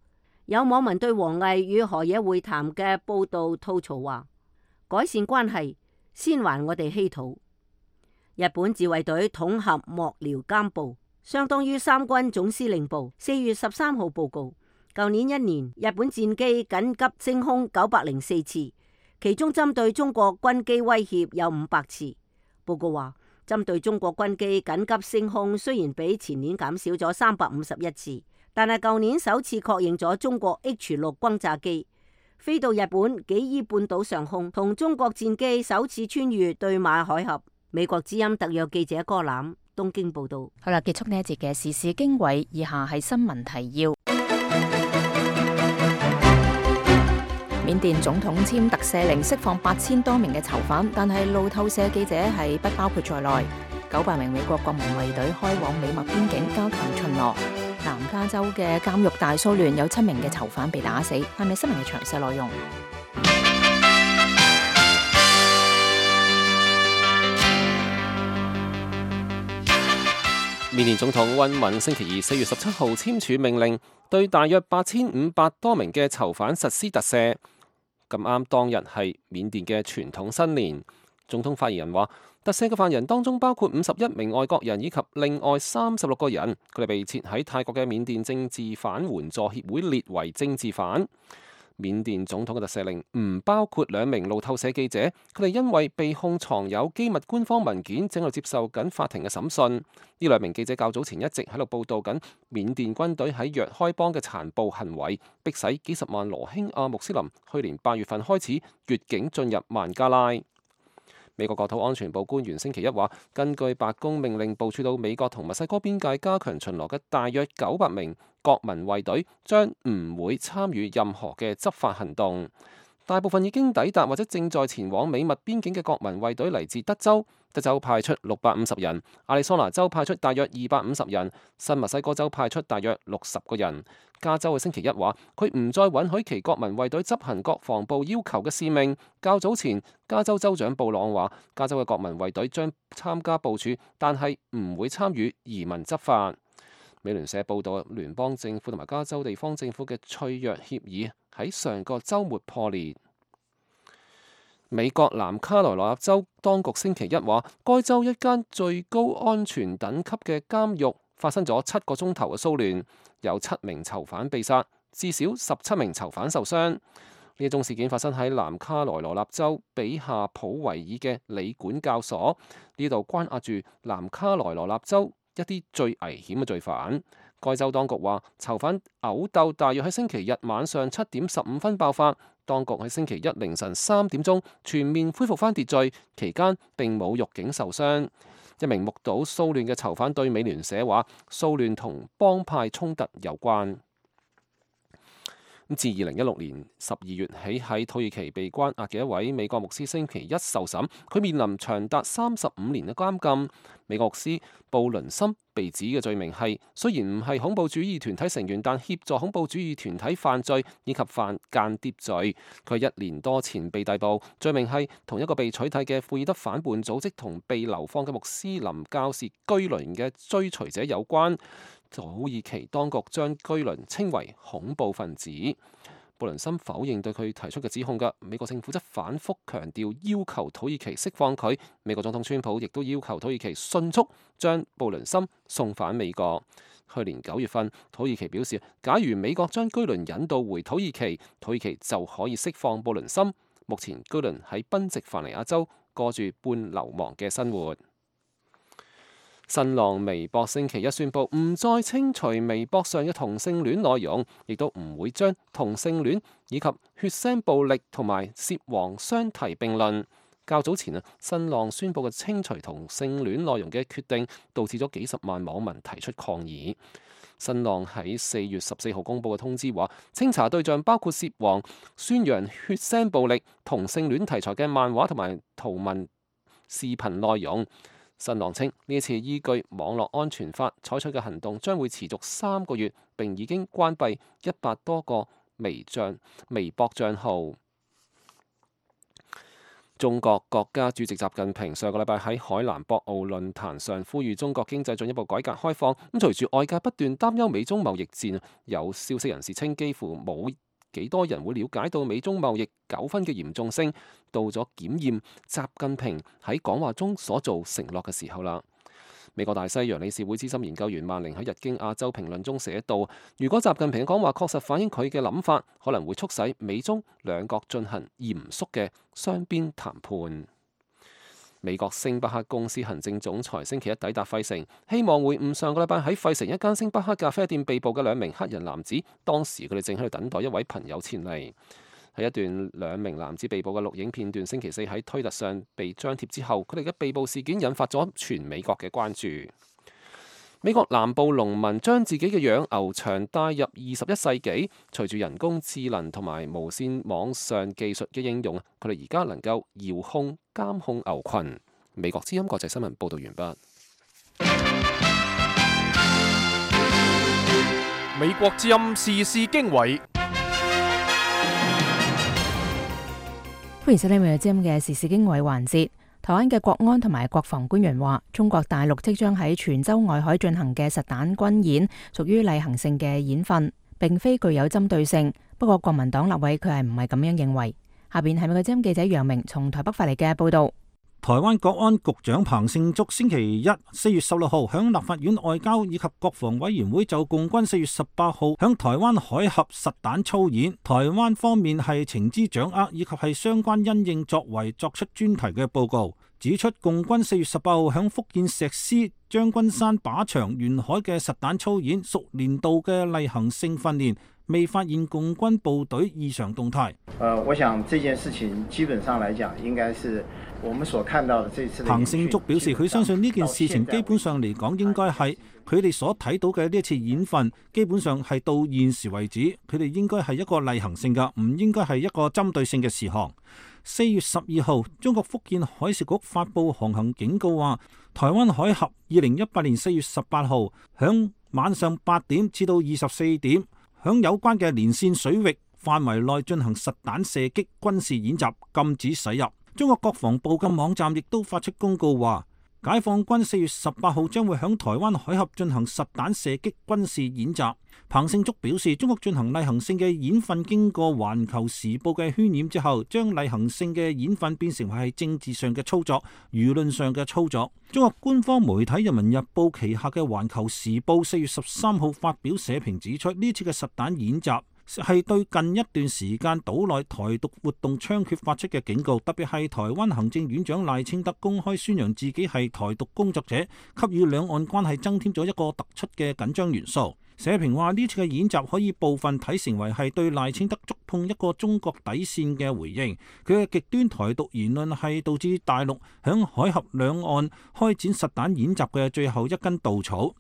有網民對王毅與河野會談嘅報道吐槽話：改善關係先還我哋稀土。日本自衛隊統合幕僚監部，相當於三軍總司令部，4月13號報告，舊年1年日本戰機緊急升空904次，其中針對中國軍機威脅有500次。報告話，針對中國軍機緊急升空，雖然比前年減少咗351次，但係舊年首次確認咗中國 H6 轟炸機飛到日本紀伊半島上空，同中國戰機首次穿越對馬海峽。美國之音特約記者柯攬東京報道。好啦，結束呢一節嘅時事經緯，以下係新聞提要。緬甸總統簽特赦令釋放8000多名嘅囚犯，但係路透社記者係不包括在內。900名美國國民衛隊開往美墨邊境加強巡邏。南加州嘅監獄大騷亂，有7名嘅囚犯被打死。係咪新聞嘅詳細內容？緬甸總統溫敏星期二4月17號簽署命令，對大約8500多名嘅囚犯實施特赦。咁啱當日係緬甸嘅傳統新年。總統發言人話，特赦嘅犯人當中包括51名外國人以及另外36個人，佢哋被設喺泰國嘅緬甸政治犯援助協會列為政治犯。緬甸總統嘅特赦令唔包括2名路透社記者，佢哋因為被控藏有機密官方文件，正喺度接受緊法庭嘅審訊。呢2名記者較早前一直喺度報導緊緬甸軍隊喺若開邦嘅殘暴行為，迫使幾十萬羅興亞穆斯林去年8月份開始越境進入孟加拉。美國國土安全部官員星期一話，根據白宮命令部署到美國同墨西哥邊界加強巡邏嘅大約900名國民衛隊將唔會參與任何嘅執法行動。大部分已經抵達或者正在前往美墨邊境嘅國民衛隊嚟自德州，德州派出650人，亞利桑那州派出大約250人，新墨西哥州派出大約60個人。加州嘅星期一話，佢唔再允許其國民衛隊執行國防部要求嘅使命。較早前，加州州長布朗話，加州嘅國民衛隊將參加部署，但係唔會參與移民執法。美聯社報道，聯邦政府同埋加州地方政府嘅脆弱協議喺上個週末破裂。美國南卡羅來納州當局星期一話，該州一間最高安全等級嘅監獄發生咗7個鐘頭嘅騷亂，有7名囚犯被殺，至少17名囚犯受傷。呢一宗事件發生喺南卡羅來納州比夏普維爾嘅理管教所，呢度關押住南卡羅來納州一啲最危險嘅罪犯。該州當局話，囚犯毆鬥大約喺星期日晚上7點15分爆發，當局喺星期一凌晨3點鐘全面恢復返秩序，期間並冇獄警受傷。一名目睹騷亂嘅囚犯對美聯社話，騷亂同幫派衝突有關。自2016年12月起喺土耳其被關押嘅一位美國牧師星期一受審，佢面臨長達35年嘅監禁。美國牧師布倫森被指嘅罪名係，雖然唔係恐怖主義團體成員，但協助恐怖主義團體犯罪以及犯間諜罪。佢1年多前被逮捕，罪名係同一個被取締嘅庫爾德反叛組織同被流放嘅穆斯林教士居倫嘅追隨者有關。土耳其當局將居倫稱為恐怖分子。布倫森否認對佢提出嘅指控㗎。美國政府則反覆強調要求土耳其釋放佢。美國總統川普亦都要求土耳其迅速將布倫森送返美國。去年9月份，土耳其表示，假如美國將居倫引渡回土耳其，土耳其就可以釋放布倫森。目前居倫喺賓夕凡尼亞州過住半流亡嘅生活。新浪微博星期一宣布唔再清除微博上嘅同性戀內容，亦都唔會將同性戀以及血腥暴力同埋涉黃相提並論。較早前新浪宣布嘅清除同性戀內容嘅決定，導致咗幾十萬網民提出抗議。新浪喺4月14號公佈嘅通知話，清查對象包括涉黃、宣揚血腥暴力、同性戀題材嘅漫畫同埋圖文視頻內容。新浪稱呢一次依據網絡安全法採取嘅行動將會持續3個月，並已經關閉100多個微博帳號。中國國家主席習近平上個禮拜喺海南博鰲論壇上呼籲中國經濟進一步改革開放。咁隨住外界不斷擔憂美中貿易戰，有消息人士稱幾乎冇幾多人會了解到美中貿易糾紛嘅嚴重性，到咗檢驗習近平喺講話中所做承諾嘅時候啦。美國大西洋理事會資深研究員曼寧喺日經亞洲評論中寫道，如果習近平嘅講話確實反映佢嘅諗法，可能會促使美中兩國進行嚴肅嘅雙邊談判。美國星巴克公司行政總裁星期一抵達費城，希望會晤上個禮拜喺費城一間星巴克咖啡店被捕嘅2名黑人男子。當時佢哋正喺度等待一位朋友前嚟。喺一段2名男子被捕嘅錄影片段，星期四喺推特上被張貼之後，佢哋嘅被捕事件引發咗全美國嘅關注。美國南部農民將自己嘅養牛場帶入21世紀，隨住人工智能同埋無線網上技術嘅應用，佢哋而家能夠遙控監控牛群。美國之音國際新聞報道完畢。美國之音時事經緯，歡迎收聽美國之音嘅時事經緯環節。台灣嘅國安同埋國防官員話，中國大陸即將喺泉州外海進行嘅實彈軍演屬於例行性嘅演訓，並非具有針對性。不過國民黨立委佢係唔係咁樣認為。下邊係美國之音記者楊明從台北發嚟嘅報道。台灣國安局長彭勝竹星期一4月16號響立法院外交以及國防委員會就共軍4月18號響台灣海峽實彈操演，台灣方面係情資掌握以及係相關因應作為作出專題嘅報告，指出共軍4月18號響福建石獅將軍山靶場沿海嘅實彈操演屬年度嘅例行性訓練，未發現共軍部隊異常動態。我想這件事情基本上來講，應該是我們所看到的這次。彭勝竹表示，佢相信呢件事情基本上嚟講，應該係佢哋所睇到嘅呢一次演訓，基本上係到現時為止，佢哋應該係一個例行性嘅，唔應該係一個針對性嘅事項。4月12號，中國福建海事局發布航行警告話，台灣海峽2018年4月18號響晚上8點至到24點，響有關嘅連線水域範圍內進行實彈射擊軍事演習，禁止駛入。中國國防部嘅網站亦都發出公告話，解放軍4月18號將會響台灣海峽進行實彈射擊軍事演習。彭勝竹表示，中國進行例行性嘅演訓經過環球時報嘅渲染之後，將例行性嘅演訓變成為係政治上嘅操作、輿論上嘅操作。中國官方媒體人民日報旗下嘅環球時報4月13號發表社評指出，呢次嘅實彈演習係對近一段時間島內台獨活動猖獗發出嘅警告，特別係台灣行政院長賴清德公開宣揚自己係台獨工作者，給予兩岸關係增添咗一個突出嘅緊張元素。社評話，呢次嘅演習可以部分睇成為係對賴清德觸碰一個中國底線嘅回應，佢嘅極端台獨言論係導致大陸響海峽兩岸開展實彈演習嘅最後一根稻草。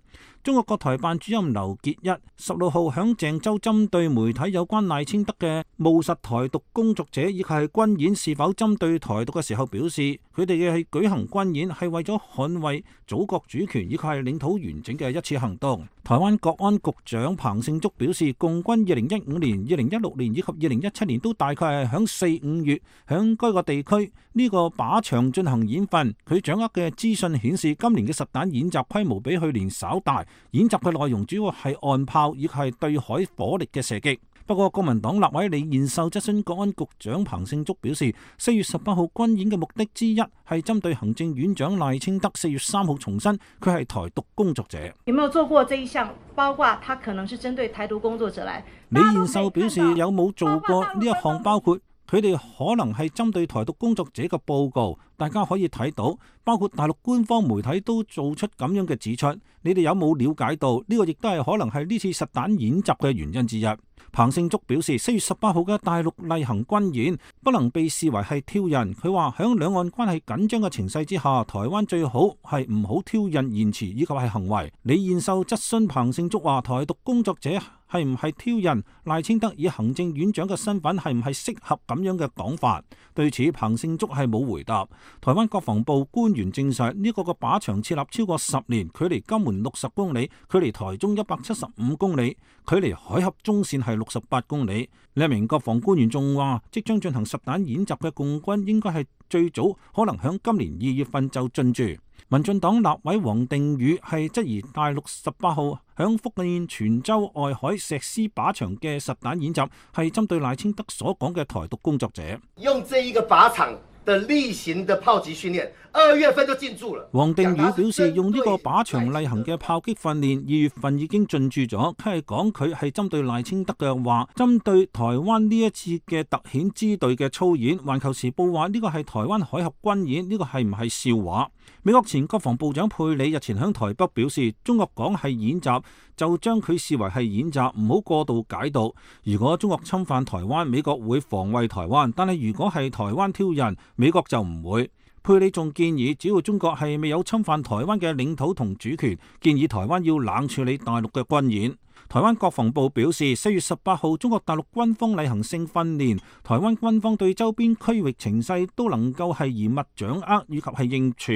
中國國台辦主任劉結一16號響鄭州針對媒體有關賴清德嘅務實台獨工作者以及係軍演是否針對台獨嘅時候表示，佢哋嘅係舉行軍演係為咗捍衛祖國主權以及係領土完整嘅一次行動。台灣國安局長彭勝竹表示，共軍2015年、2016年以及2017年都大概係響4、5月響該個地區呢個靶場進行演訓。佢掌握嘅資訊顯示，今年嘅實彈演習規模比去年稍大，演習嘅內容主要係岸炮以及係對海火力嘅射擊。不過，國民黨立委李彥秀質詢國安局長彭勝竹表示，4月18號軍演嘅目的之一係針對行政院長賴清德4月3號重申佢係台獨工作者。有沒有做過這一項？包括他可能是針對台獨工作者來。李彥秀表示，有冇做過呢一項？包括佢哋可能係針對台獨工作者嘅報告，大家可以睇到，包括大陸官方媒體都做出咁樣嘅指出。你哋有冇了解到呢個亦都係可能係呢次實彈演習嘅原因之一。彭勝竹表示，4月18號嘅大陸例行軍演不能被視為係挑釁。佢話響兩岸關係緊張嘅情勢之下，台灣最好係唔好挑釁言辭以及係行為。李彥秀質詢彭勝竹話，台獨工作者係唔係挑釁？賴清德以行政院長嘅身份係唔係適合咁樣嘅講法？對此，彭勝竹係冇回答。台灣國防部官員證實，呢個嘅靶場設立超過10年，距離金門60公里，距離台中175公里，距離海峽中線係68公里。另一名國防官員仲話，即將進行實彈演習嘅共軍應該係最早可能響今年2月份就進駐。民進黨立委王定宇係質疑大陸18號響福建泉州外海石獅靶場嘅實彈演習係針對賴清德所講嘅台獨工作者。用這一個靶場的例行的炮擊訓練，2月份就進駐了。黃定宇表示，用呢個靶場例行嘅炮擊訓練，2月份已經進駐咗。佢係講佢係針對賴清德嘅話，針對台灣呢一次嘅特遣支隊嘅操演。環球時報話呢個係台灣海峽軍演，呢個係唔係笑話？美國前國防部長佩里日前響台北表示，中國講係演習，就將佢視為係演習，唔好過度解讀。如果中國侵犯台灣，美國會防衛台灣，但係如果係台灣挑釁，美國就唔會。佩里仲建議，只要中國係未有侵犯台灣嘅領土同主權，建議台灣要冷處理大陸嘅軍演。台灣國防部表示，4月18號中國大陸軍方例行性訓練，台灣軍方對周邊區域情勢都能夠係嚴密掌握以及係應處，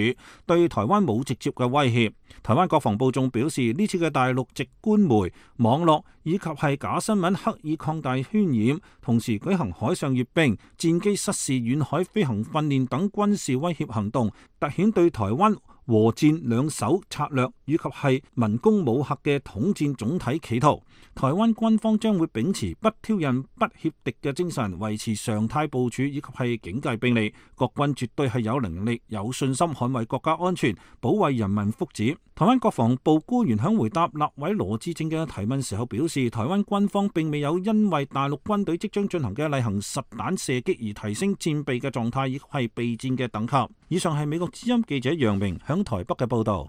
對台灣冇直接嘅威脅。台灣國防部仲表示，呢次嘅大陸籍官媒、網絡以及係假新聞刻意擴大渲染，同時舉行海上閱兵、戰機失事遠海飛行訓練等軍事威脅行動，凸顯對台灣和戰兩手策略以及係文攻武嚇嘅統戰總體企圖。台灣軍方將會秉持不挑釁、不協敵嘅精神，維持常態部署以及係警戒兵力。國軍絕對係有能力、有信心捍衛國家安全、保衛人民福祉。台灣國防部官員響回答立委羅致政嘅提問時候表示，台灣軍方並未有因為大陸軍隊即將進行嘅例行實彈射擊而提升戰備嘅狀態，亦係備戰嘅等級。以上係美國之音記者楊明響台北嘅報道。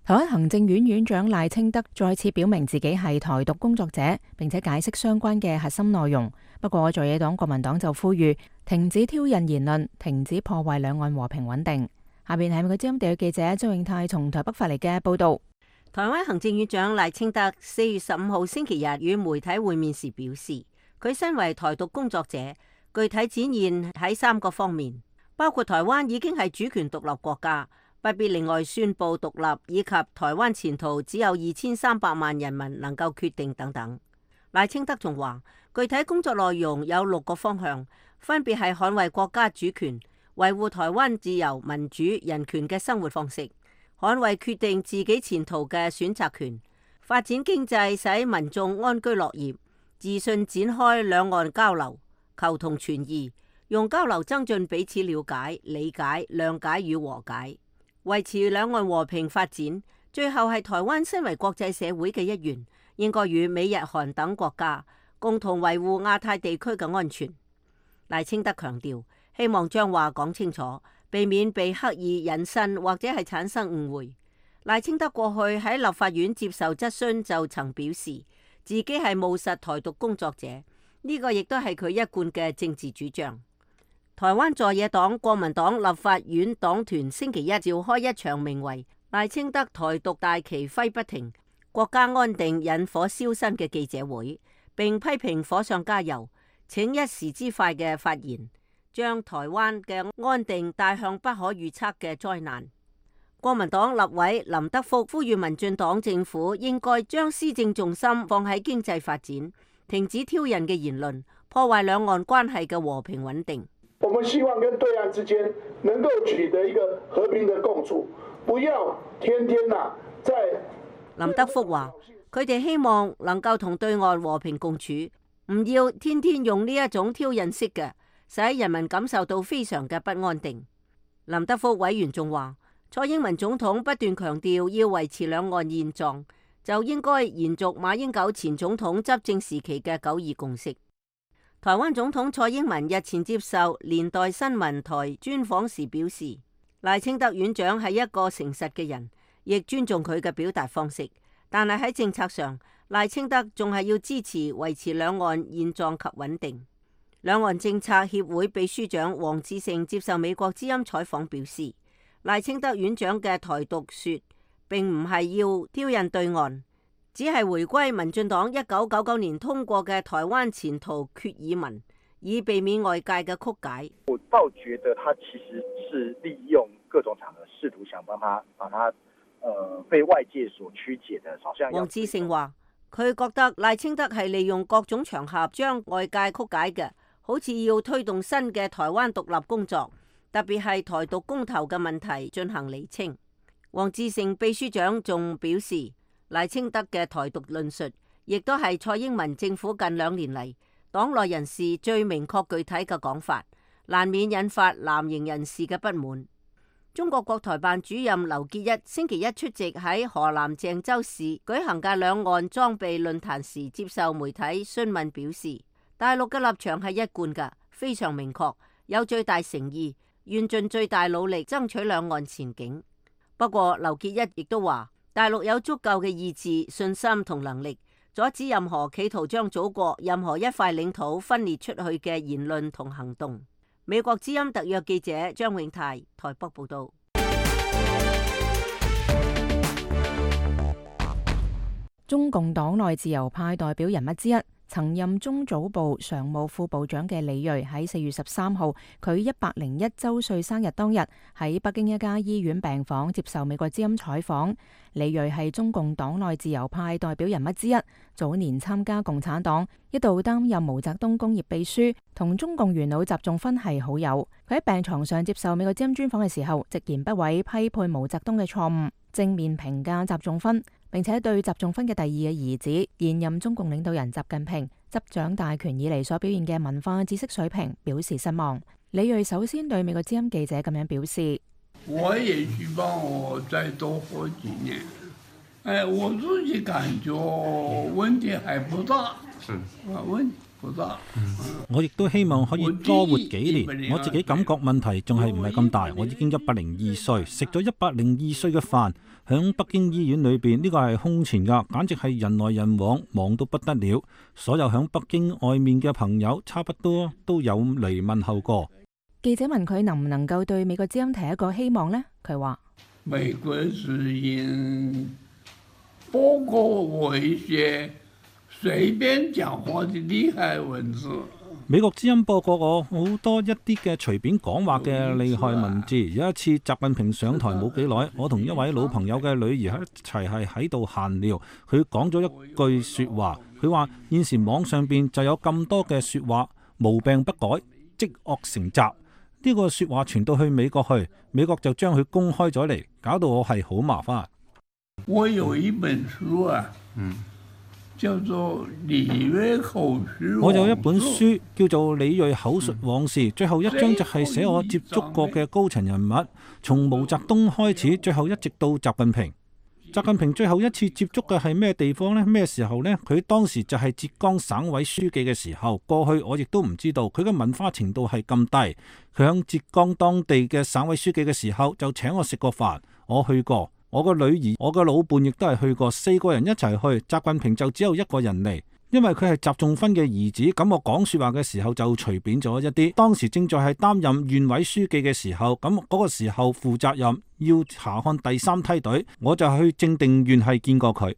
台灣行政院院長賴清德再次表明自己係台獨工作者，並且解釋相關嘅核心內容。不過在野黨國民黨就呼籲停止挑釁言論，停止破壞兩岸和平穩定。下邊係美國之音地區記者周永泰從台北發嚟嘅報道。台灣行政院長賴清德4月15號星期日與媒體會面時表示，佢身為台獨工作者，具體展現喺3個方面，包括台灣已經係主權獨立國家，不必另外宣布獨立，以及台灣前途只有2300萬人民能夠決定等等。賴清德仲話，具體工作內容有6個方向，分別係捍衛國家主權、維護台灣自由、民主、人權嘅生活方式、捍衛決定自己前途嘅選擇權、發展經濟使民眾安居樂業、自信展開兩岸交流、求同存異，用交流增進彼此了解、理解、諒解與和解。維持兩岸和平發展，最後係台灣身為國際社會嘅一員，應該與美日韓等國家共同維護亞太地區嘅安全。賴清德強調，希望將話講清楚，避免被刻意引申或者係產生誤會。賴清德過去喺立法院接受質詢就曾表示，自己係務實台獨工作者，呢個亦都係佢一貫嘅政治主張。台灣在野黨國民黨立法院黨團星期一召開一場名為賴清德台獨大旗揮不停，國家安定引火燒身嘅記者會，並批評火上加油，請一時之快嘅發言，將台灣嘅安定帶向不可預測嘅災難。國民黨立委林德福呼籲民進黨政府應該將施政重心放喺經濟發展，停止挑釁嘅言論，破壞兩岸關係嘅和平穩定。我們希望跟對岸之間能夠取得一個和平的共處，不要天天在。林德福話：佢哋希望能夠同對岸和平共處，唔要天天用呢一種挑釁式嘅，使人民感受到非常嘅不安定。林德福委員仲話：蔡英文總統不斷強調要維持兩岸現狀，就應該延續馬英九前總統執政時期嘅9·2共識。台灣總統蔡英文日前接受年代新聞台專訪時表示，賴清德院長係一個誠實嘅人，亦尊重佢嘅表達方式，但係喺政策上，賴清德仲係要支持維持兩岸現狀及穩定。兩岸政策協會秘書長黃志成接受美國之音採訪表示，賴清德院長嘅台獨說並唔係要挑釁對岸，只係回歸民進黨1999年通過嘅台灣前途決議文，以避免外界嘅曲解。我倒覺得他其實是利用各種場合試圖想把他被外界所曲解的，好像黃志成話，佢覺得賴清德係利用各種場合將外界曲解嘅，好似要推動新嘅台灣獨立工作，特別係台獨公投嘅問題進行釐清。黃志成秘書長仲表示，賴清德嘅台獨論述，亦都係蔡英文政府近2年嚟黨內人士最明確具體嘅講法，難免引發藍營人士嘅不滿。中國國台辦主任劉結一星期一出席喺河南鄭州市舉行嘅兩岸裝備論壇時，接受媒體詢問表示，大陸嘅立場係一貫嘅，非常明確，有最大誠意，願盡最大努力爭取兩岸前景。不過劉結一亦都話，大陸有足夠嘅意志、信心同能力，阻止任何企圖將祖國任何一塊領土分裂出去嘅言論同行動。美國之音特約記者張永泰台北報道。中共黨內自由派代表人物之一，曾任中組部常務副部長嘅李銳喺4月13號佢101週歲生日當日喺北京一家醫院病房接受美國之音採訪。李銳係中共黨內自由派代表人物之一，早年參加共產黨，一度擔任毛澤東工業秘書，同中共元老習仲勳係好友。佢喺病床上接受美國之音專訪嘅時候，直言不諱批判毛澤東嘅錯誤，正面評價習仲勳，並且對習仲勳嘅第二嘅兒子現任中共領導人習近平執掌大權以嚟所表現嘅文化知識水平表示失望。李銳首先對美國之音記者咁樣表示：我也希望我再多活幾年。我自己感覺問題還不大，問題不大。我亦都希望可以多活幾年。我自己感覺問題仲係唔係咁大。我已經102歲，食咗102歲嘅飯，響北京醫院裏邊，呢個係空前噶，簡直係人來人往，忙到不得了。所有響北京外面嘅朋友，差不多都有嚟問候過。記者問佢能唔能夠對美國之音提一個希望呢？佢話：美國之音播過我一些隨便講話的厲害文字。美國之音播過我好多一啲嘅隨便講話嘅厲害文字。有一次習近平上台冇幾耐，我同一位老朋友嘅女兒一齊係喺度閒聊，佢講咗一句說話，佢話現時網上邊就有咁多嘅說話，無病不改，積惡成習。呢個說話傳到去美國去，美國就將佢公開咗嚟，搞到我係好麻煩。我有一本書啊，叫做李銳口述。我有一本書叫做《李銳口述往事》，最後一章就係寫我接觸過嘅高層人物，從毛澤東開始，最後一直到習近平。習近平最後一次接觸嘅係咩地方呢？咩時候呢？佢當時就係浙江省委書記嘅時候。過去我亦都唔知道佢嘅文化程度係咁低。佢響浙江當地嘅省委書記嘅時候就請我食過飯，我去過。我個女兒、我個老伴亦都係去過，4個人一齊去。習近平就只有1個人嚟，因為佢係習仲勳嘅兒子。咁我講說話嘅時候就隨便咗一啲。當時正在係擔任縣委書記嘅時候，咁嗰個時候負責任要查看第3梯隊，我就去正定縣係見過佢。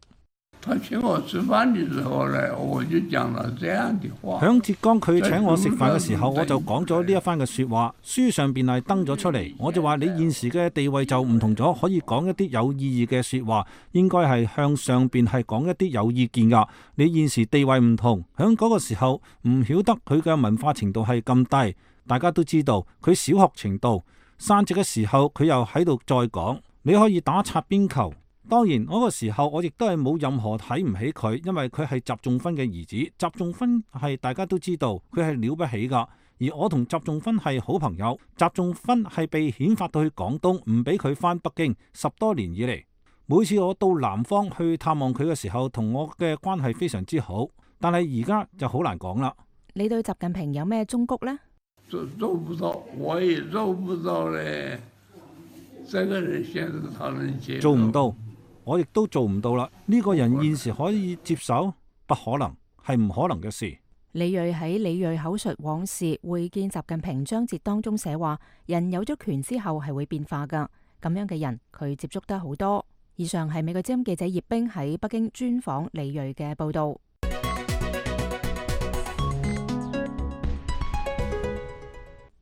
他請我吃飯的時候呢，我就講了這樣的話。響浙江佢請我食飯嘅時候，我就講咗呢一番嘅說話，書上邊係登咗出嚟。我就話你現時嘅地位就唔同咗，可以講一啲有意義嘅說話，應該係向上邊係講一啲有意見噶。你現時地位唔同，響嗰個時候唔曉得佢嘅文化程度係咁低。大家都知道佢小學程度，散席嘅時候佢又喺度再講，你可以打擦邊球。當然嗰個時候我亦都係冇任何睇唔起佢，因為佢係習仲勳嘅兒子。習仲勳係大家都知道佢係了不起噶，而我同習仲勳係好朋友。習仲勳係被遣發到去廣東，唔俾佢返北京10多年以嚟。每次我到南方去探望佢嘅時候，同我嘅關係非常之好。但係而家就好難講啦。你對習近平有咩忠告呢？做不到，我也做不到咧。這個人現在他能接受？做唔到。我亦都做唔到啦！呢個人現時可以接受？不可能，係唔可能嘅事。李銳喺《李銳口述往事》會見習近平章節當中寫話：人有咗權之後係會變化噶，咁樣嘅人佢接觸得好多。以上係美國之音記者葉冰喺北京專訪李銳嘅報道。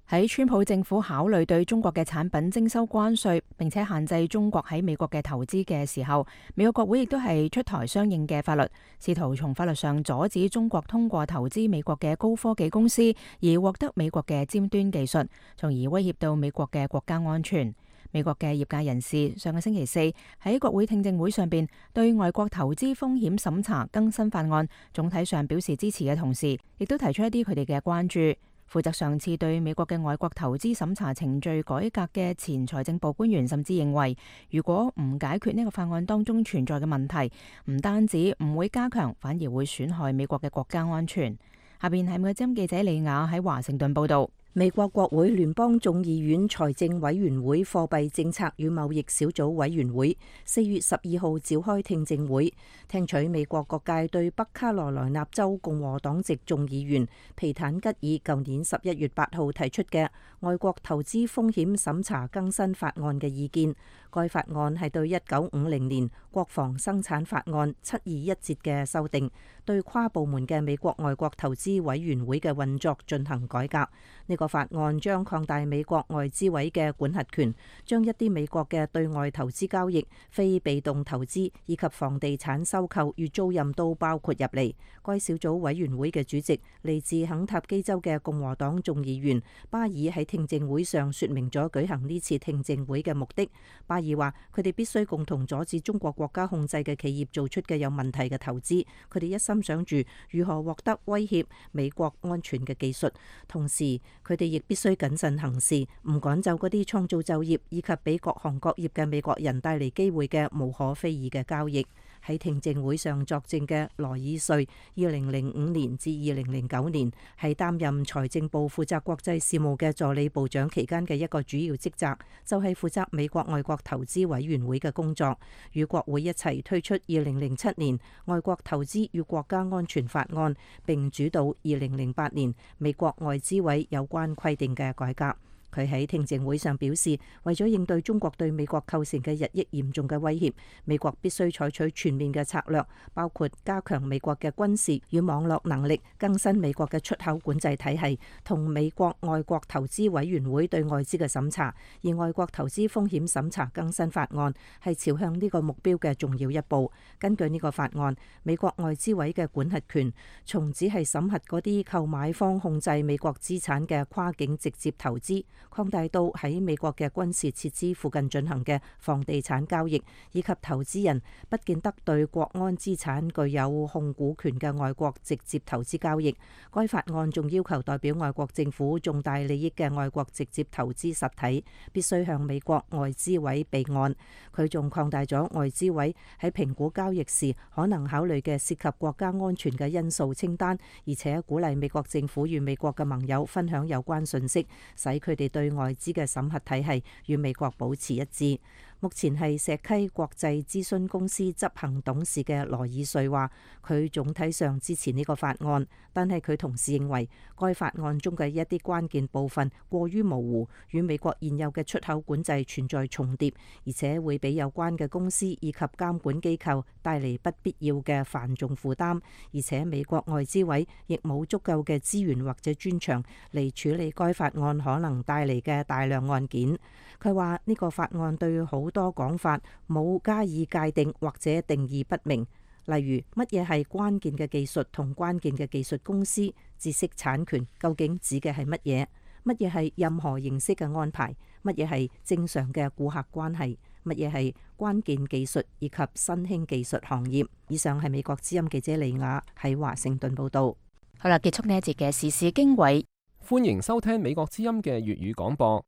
喺川普政府考慮對中國嘅產品徵收關稅，並且限制中國喺美國嘅投資嘅時候，美國國會亦都係出台相應嘅法律，試圖從法律上阻止中國通過投資美國嘅高科技公司而獲得美國嘅尖端技術，從而威脅到美國嘅國家安全。美國嘅業界人士上個星期四喺國會聽證會上邊對外國投資風險審查更新法案總體上表示支持嘅同時，亦都提出一啲佢哋嘅關注。負責上次對美國嘅外國投資審查程序改革嘅前財政部官員甚至認為，如果唔解決呢個法案當中存在嘅問題，唔單止唔會加強，反而會損害美國嘅國家安全。下邊係美國之音記者李雅喺華盛頓報道。美國國會聯邦眾議院財政委員會貨幣政策與貿易小組委員會4月12號召開聽證會，聽取美國各界對北卡羅來納州共和黨籍眾議員皮坦吉爾舊年11月8號提出嘅外國投資風險審查更新法案嘅意見。該法案係對1950年國防生產法案721節嘅修訂，對跨部門嘅美國外國投資委員會嘅運作進行改革。呢個法案將擴大美國外資委嘅管轄權，將一啲美國嘅對外投資交易、非被動投資以及房地產收購與租賃都包括入嚟。該小組委員會嘅主席嚟自肯塔基州嘅共和黨眾議員巴爾喺聽證會上說明咗舉行呢次聽證會嘅目的。巴爾話：佢哋必須共同阻止中國國家控制嘅企業做出嘅有問題嘅投資。佢哋一心想住如何獲得威脅美國安全嘅技術，同時佢哋亦必須謹慎行事，唔趕走嗰啲創造就業以及俾各行各業嘅美國人帶嚟機會嘅無可非議嘅交易。喺聽證會上作證嘅羅爾瑞，2005年至2009年係擔任財政部負責國際事務嘅助理部長期間嘅一個主要職責，就係負責美國外國投資委員會嘅工作，與國會一齊推出2007年外國投資與國家安全法案，並主導2008年美國外資委有關規定嘅改革。佢喺聽證會上表示，為咗應對中國對美國構成嘅日益嚴重嘅威脅，美國必須採取全面嘅策略，包括加強美國嘅軍事與網絡能力，更新美國嘅出口管制體系，同美國外國投資委員會對外資嘅審查。而外國投資風險審查更新法案係朝向呢個目標嘅重要一步。根據呢個法案，美國外資委嘅管轄權從只係審核嗰啲購買方控制美國資產嘅跨境直接投資，擴大到喺美國嘅軍事設施附近進行嘅房地產交易，以及投資人不見得對國安資產具有控股權嘅外國直接投資交易。該法案仲要求代表外國政府重大利益嘅外國直接投資實體必須向美國外資委備案。佢仲擴大咗外資委喺評估交易時可能考慮嘅涉及國家安全嘅因素清單，而且鼓勵美國政府與美國嘅盟友分享有關信息，使佢哋對外資嘅審核體系與美國保持一致。目前係石溪國際諮詢公司執行董事嘅羅爾瑞話，佢總體上支持呢個法案，但係佢同時認為該法案中嘅一啲關鍵部分過於模糊，與美國現有嘅出口管制存在重疊，而且會俾有關嘅公司以及監管機構帶嚟不必要嘅繁重負擔，而且美國外資委亦冇足夠嘅資源或者專長嚟處理該法案可能帶嚟嘅大量案件。佢話呢個法案對好多講法冇加以界定或者定義不明，例如乜嘢係關鍵嘅技術同關鍵嘅技術公司，知識產權究竟指嘅係乜嘢？乜嘢係任何形式嘅安排？乜嘢係正常嘅顧客關係？乜嘢係關鍵技術以及新興技術行業？以上係美國之音記者李雅喺華盛頓報道。好啦，結束呢一節嘅時事經緯，歡迎收聽美國之音嘅粵語廣播。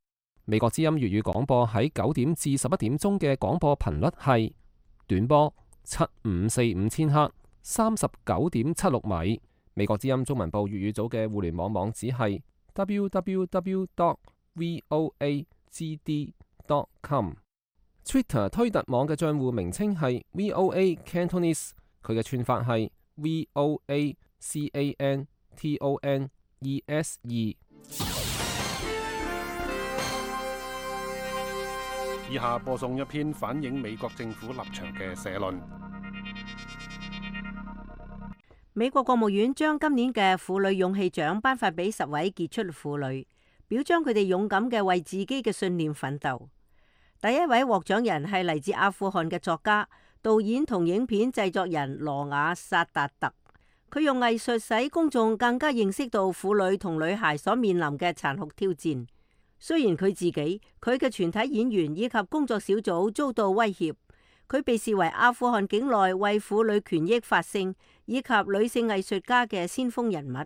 美國之音粵語廣播喺9點至11點鐘嘅廣播頻率係短波7545千赫39.76米。美國之音中文部粵語組嘅互聯網網址係 www.voagd.com。Twitter 推特網嘅賬戶名稱係 VOA Cantonese， 佢嘅串法係 VOACANTONESE。以下播送一篇反映美國政府立場嘅社論。美國國務院將今年嘅婦女勇氣獎頒發俾10位傑出婦女，表彰佢哋勇敢嘅為自己嘅信念奮鬥。第一位獲獎人係嚟自阿富汗嘅作家、導演同影片製作人羅瓦薩達特。佢用藝術使公眾更加認識到婦女同女孩所面臨嘅殘酷挑戰。雖然佢自己、佢嘅全體演員以及工作小組遭到威脅，佢被視為阿富汗境內為婦女權益發聲以及女性藝術家嘅先鋒人物。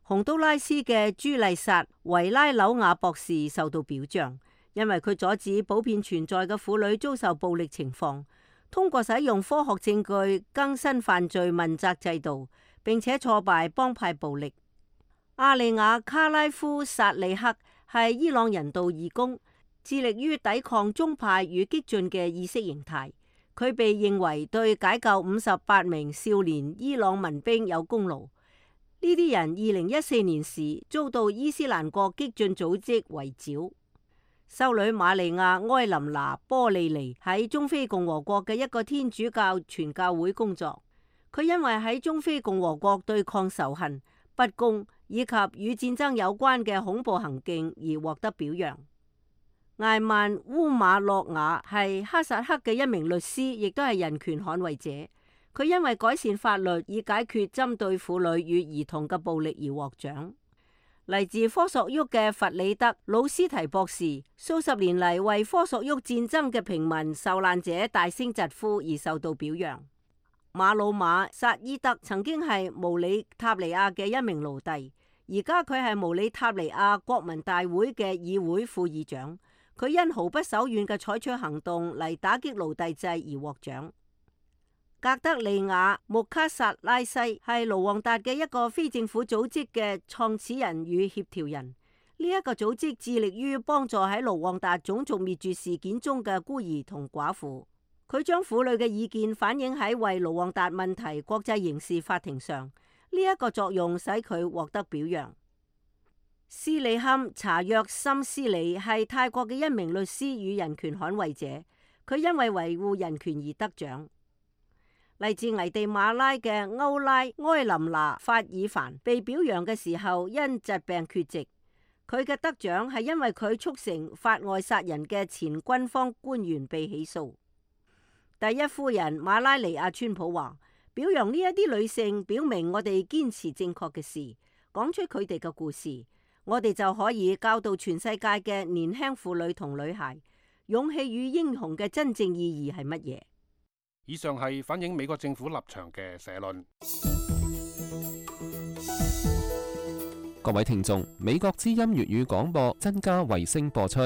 洪都拉斯嘅朱麗薩·維拉紐亞博士受到表彰，因為佢阻止普遍存在嘅婦女遭受暴力情況，通過使用科學證據更新犯罪問責制度，並且挫敗幫派暴力。阿利亞·卡拉夫薩利克係伊朗人道義工，致力於抵抗宗派與激進嘅意識形態。佢被認為對解救58名少年伊朗民兵有功勞。呢啲人2014年時遭到伊斯蘭國激進組織圍剿。修女瑪利亞·埃琳娜·波利尼喺中非共和國嘅一個天主教傳教會工作。佢因為喺中非共和國對抗仇恨、不公以及與戰爭有關嘅恐怖行徑而獲得表揚。艾曼烏馬諾瓦係哈薩克嘅一名律師，亦都係人權捍衛者。佢因為改善法律以解決針對婦女與兒童嘅暴力而獲獎。嚟自科索沃嘅弗里德魯斯提博士，數十年嚟為科索沃戰爭嘅平民受難者大聲疾呼而受到表揚。馬魯馬薩伊德曾經係毛里塔尼亞嘅一名奴隸，而家佢係毛里塔尼亞國民大會嘅議會副議長。佢因毫不手軟嘅採取行動嚟打擊奴隸制而獲獎。格德利亞穆卡薩拉西係盧旺達嘅一個非政府組織嘅創始人與協調人。呢一個組織致力於幫助喺盧旺達種族滅絕事件中嘅孤兒同寡婦。佢將婦女嘅意見反映喺為盧旺達問題國際刑事法庭上，呢一個作用使佢獲得表揚。斯里坎查約森斯里係泰國嘅一名律師與人權捍衛者，佢因為維護人權而得獎。嚟自危地馬拉嘅歐拉埃琳娜法爾凡被表揚嘅時候因疾病缺席，佢嘅得獎係因為佢促成法外殺人嘅前軍方官員被起訴。第一夫人馬拉尼亞川普話：表揚呢一啲女性，表明我哋堅持正確嘅事，講出佢哋嘅故事。我哋就可以教導全世界嘅年輕婦女同女孩，勇氣與英雄嘅真正意義係乜嘢。以上係反映美國政府立場嘅社論。各位聽眾，美國之音粵語廣播增加衛星播出，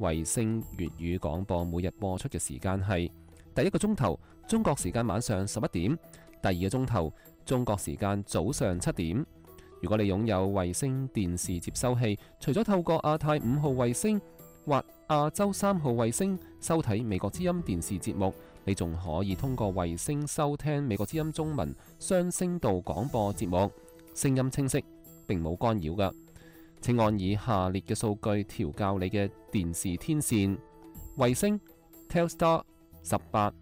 衛星粵語廣播每日播出嘅時間係第一個鐘頭中國時間晚上11點，第二個鐘頭中國時間早上7點。如果你擁有衛星電視接收器，除咗透過亞太5號衛星或亞洲3號衛星收睇美國之音電視節目，你仲可以通過衛星收聽美國之音中文雙聲道廣播節目，聲音清晰，並冇干擾㗎。請按以下列嘅數據調校你嘅電視天線：衛星 Telstar 18，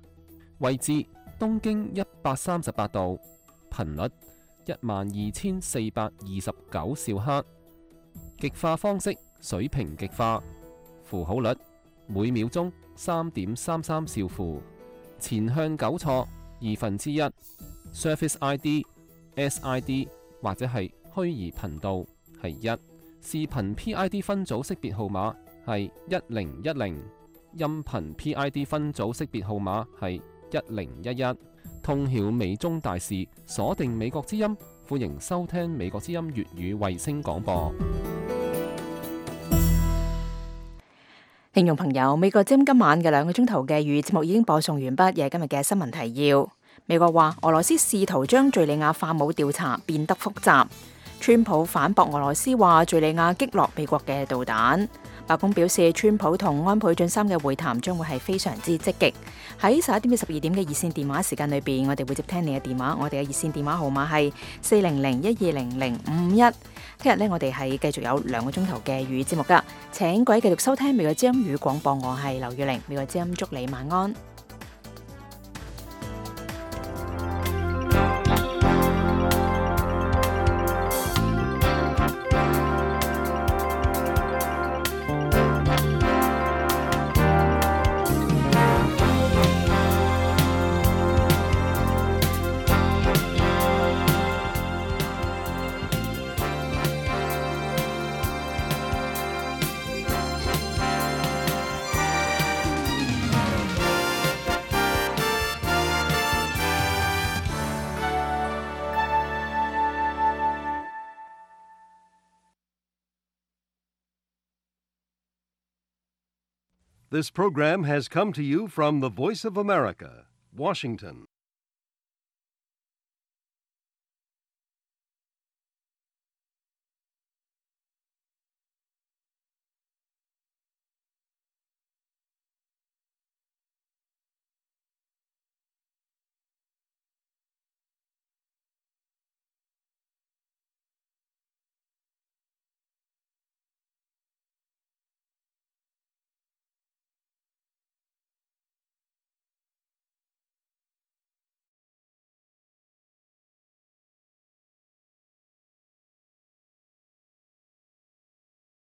位置東經138度，頻率12429兆赫，極化方式水平極化，符號率每秒鐘3.33兆符，前向糾錯1/2， Surface ID、SID 或者係虛擬頻道係1，視頻 PID 分組識別號碼係1010，音頻 PID 分組識別號碼係1011。通曉美中大事，鎖定美國之音，歡迎收聽美國之音粵語衛星廣播。聽眾朋友，美國之音今晚嘅2個鐘頭嘅粵語節目已經播送完畢，亦係今日嘅新聞提要。美國話俄羅斯試圖將敘利亞化武調查變得複雜。川普反駁俄羅斯話敘利亞擊落美國嘅導彈。白宮表示，川普同安倍晉三嘅會談將會係非常之積極。喺11點至12點嘅熱線電話時間裏邊，我哋會接聽你嘅電話。我哋嘅熱線電話號碼係400-1200-551。聽日呢，我哋係繼續有2個鐘頭嘅粵語節目噶，請各位繼續收聽美國之音語廣播。我係劉玉玲，美國之音祝你晚安。This program has come to you from the Voice of America, Washington.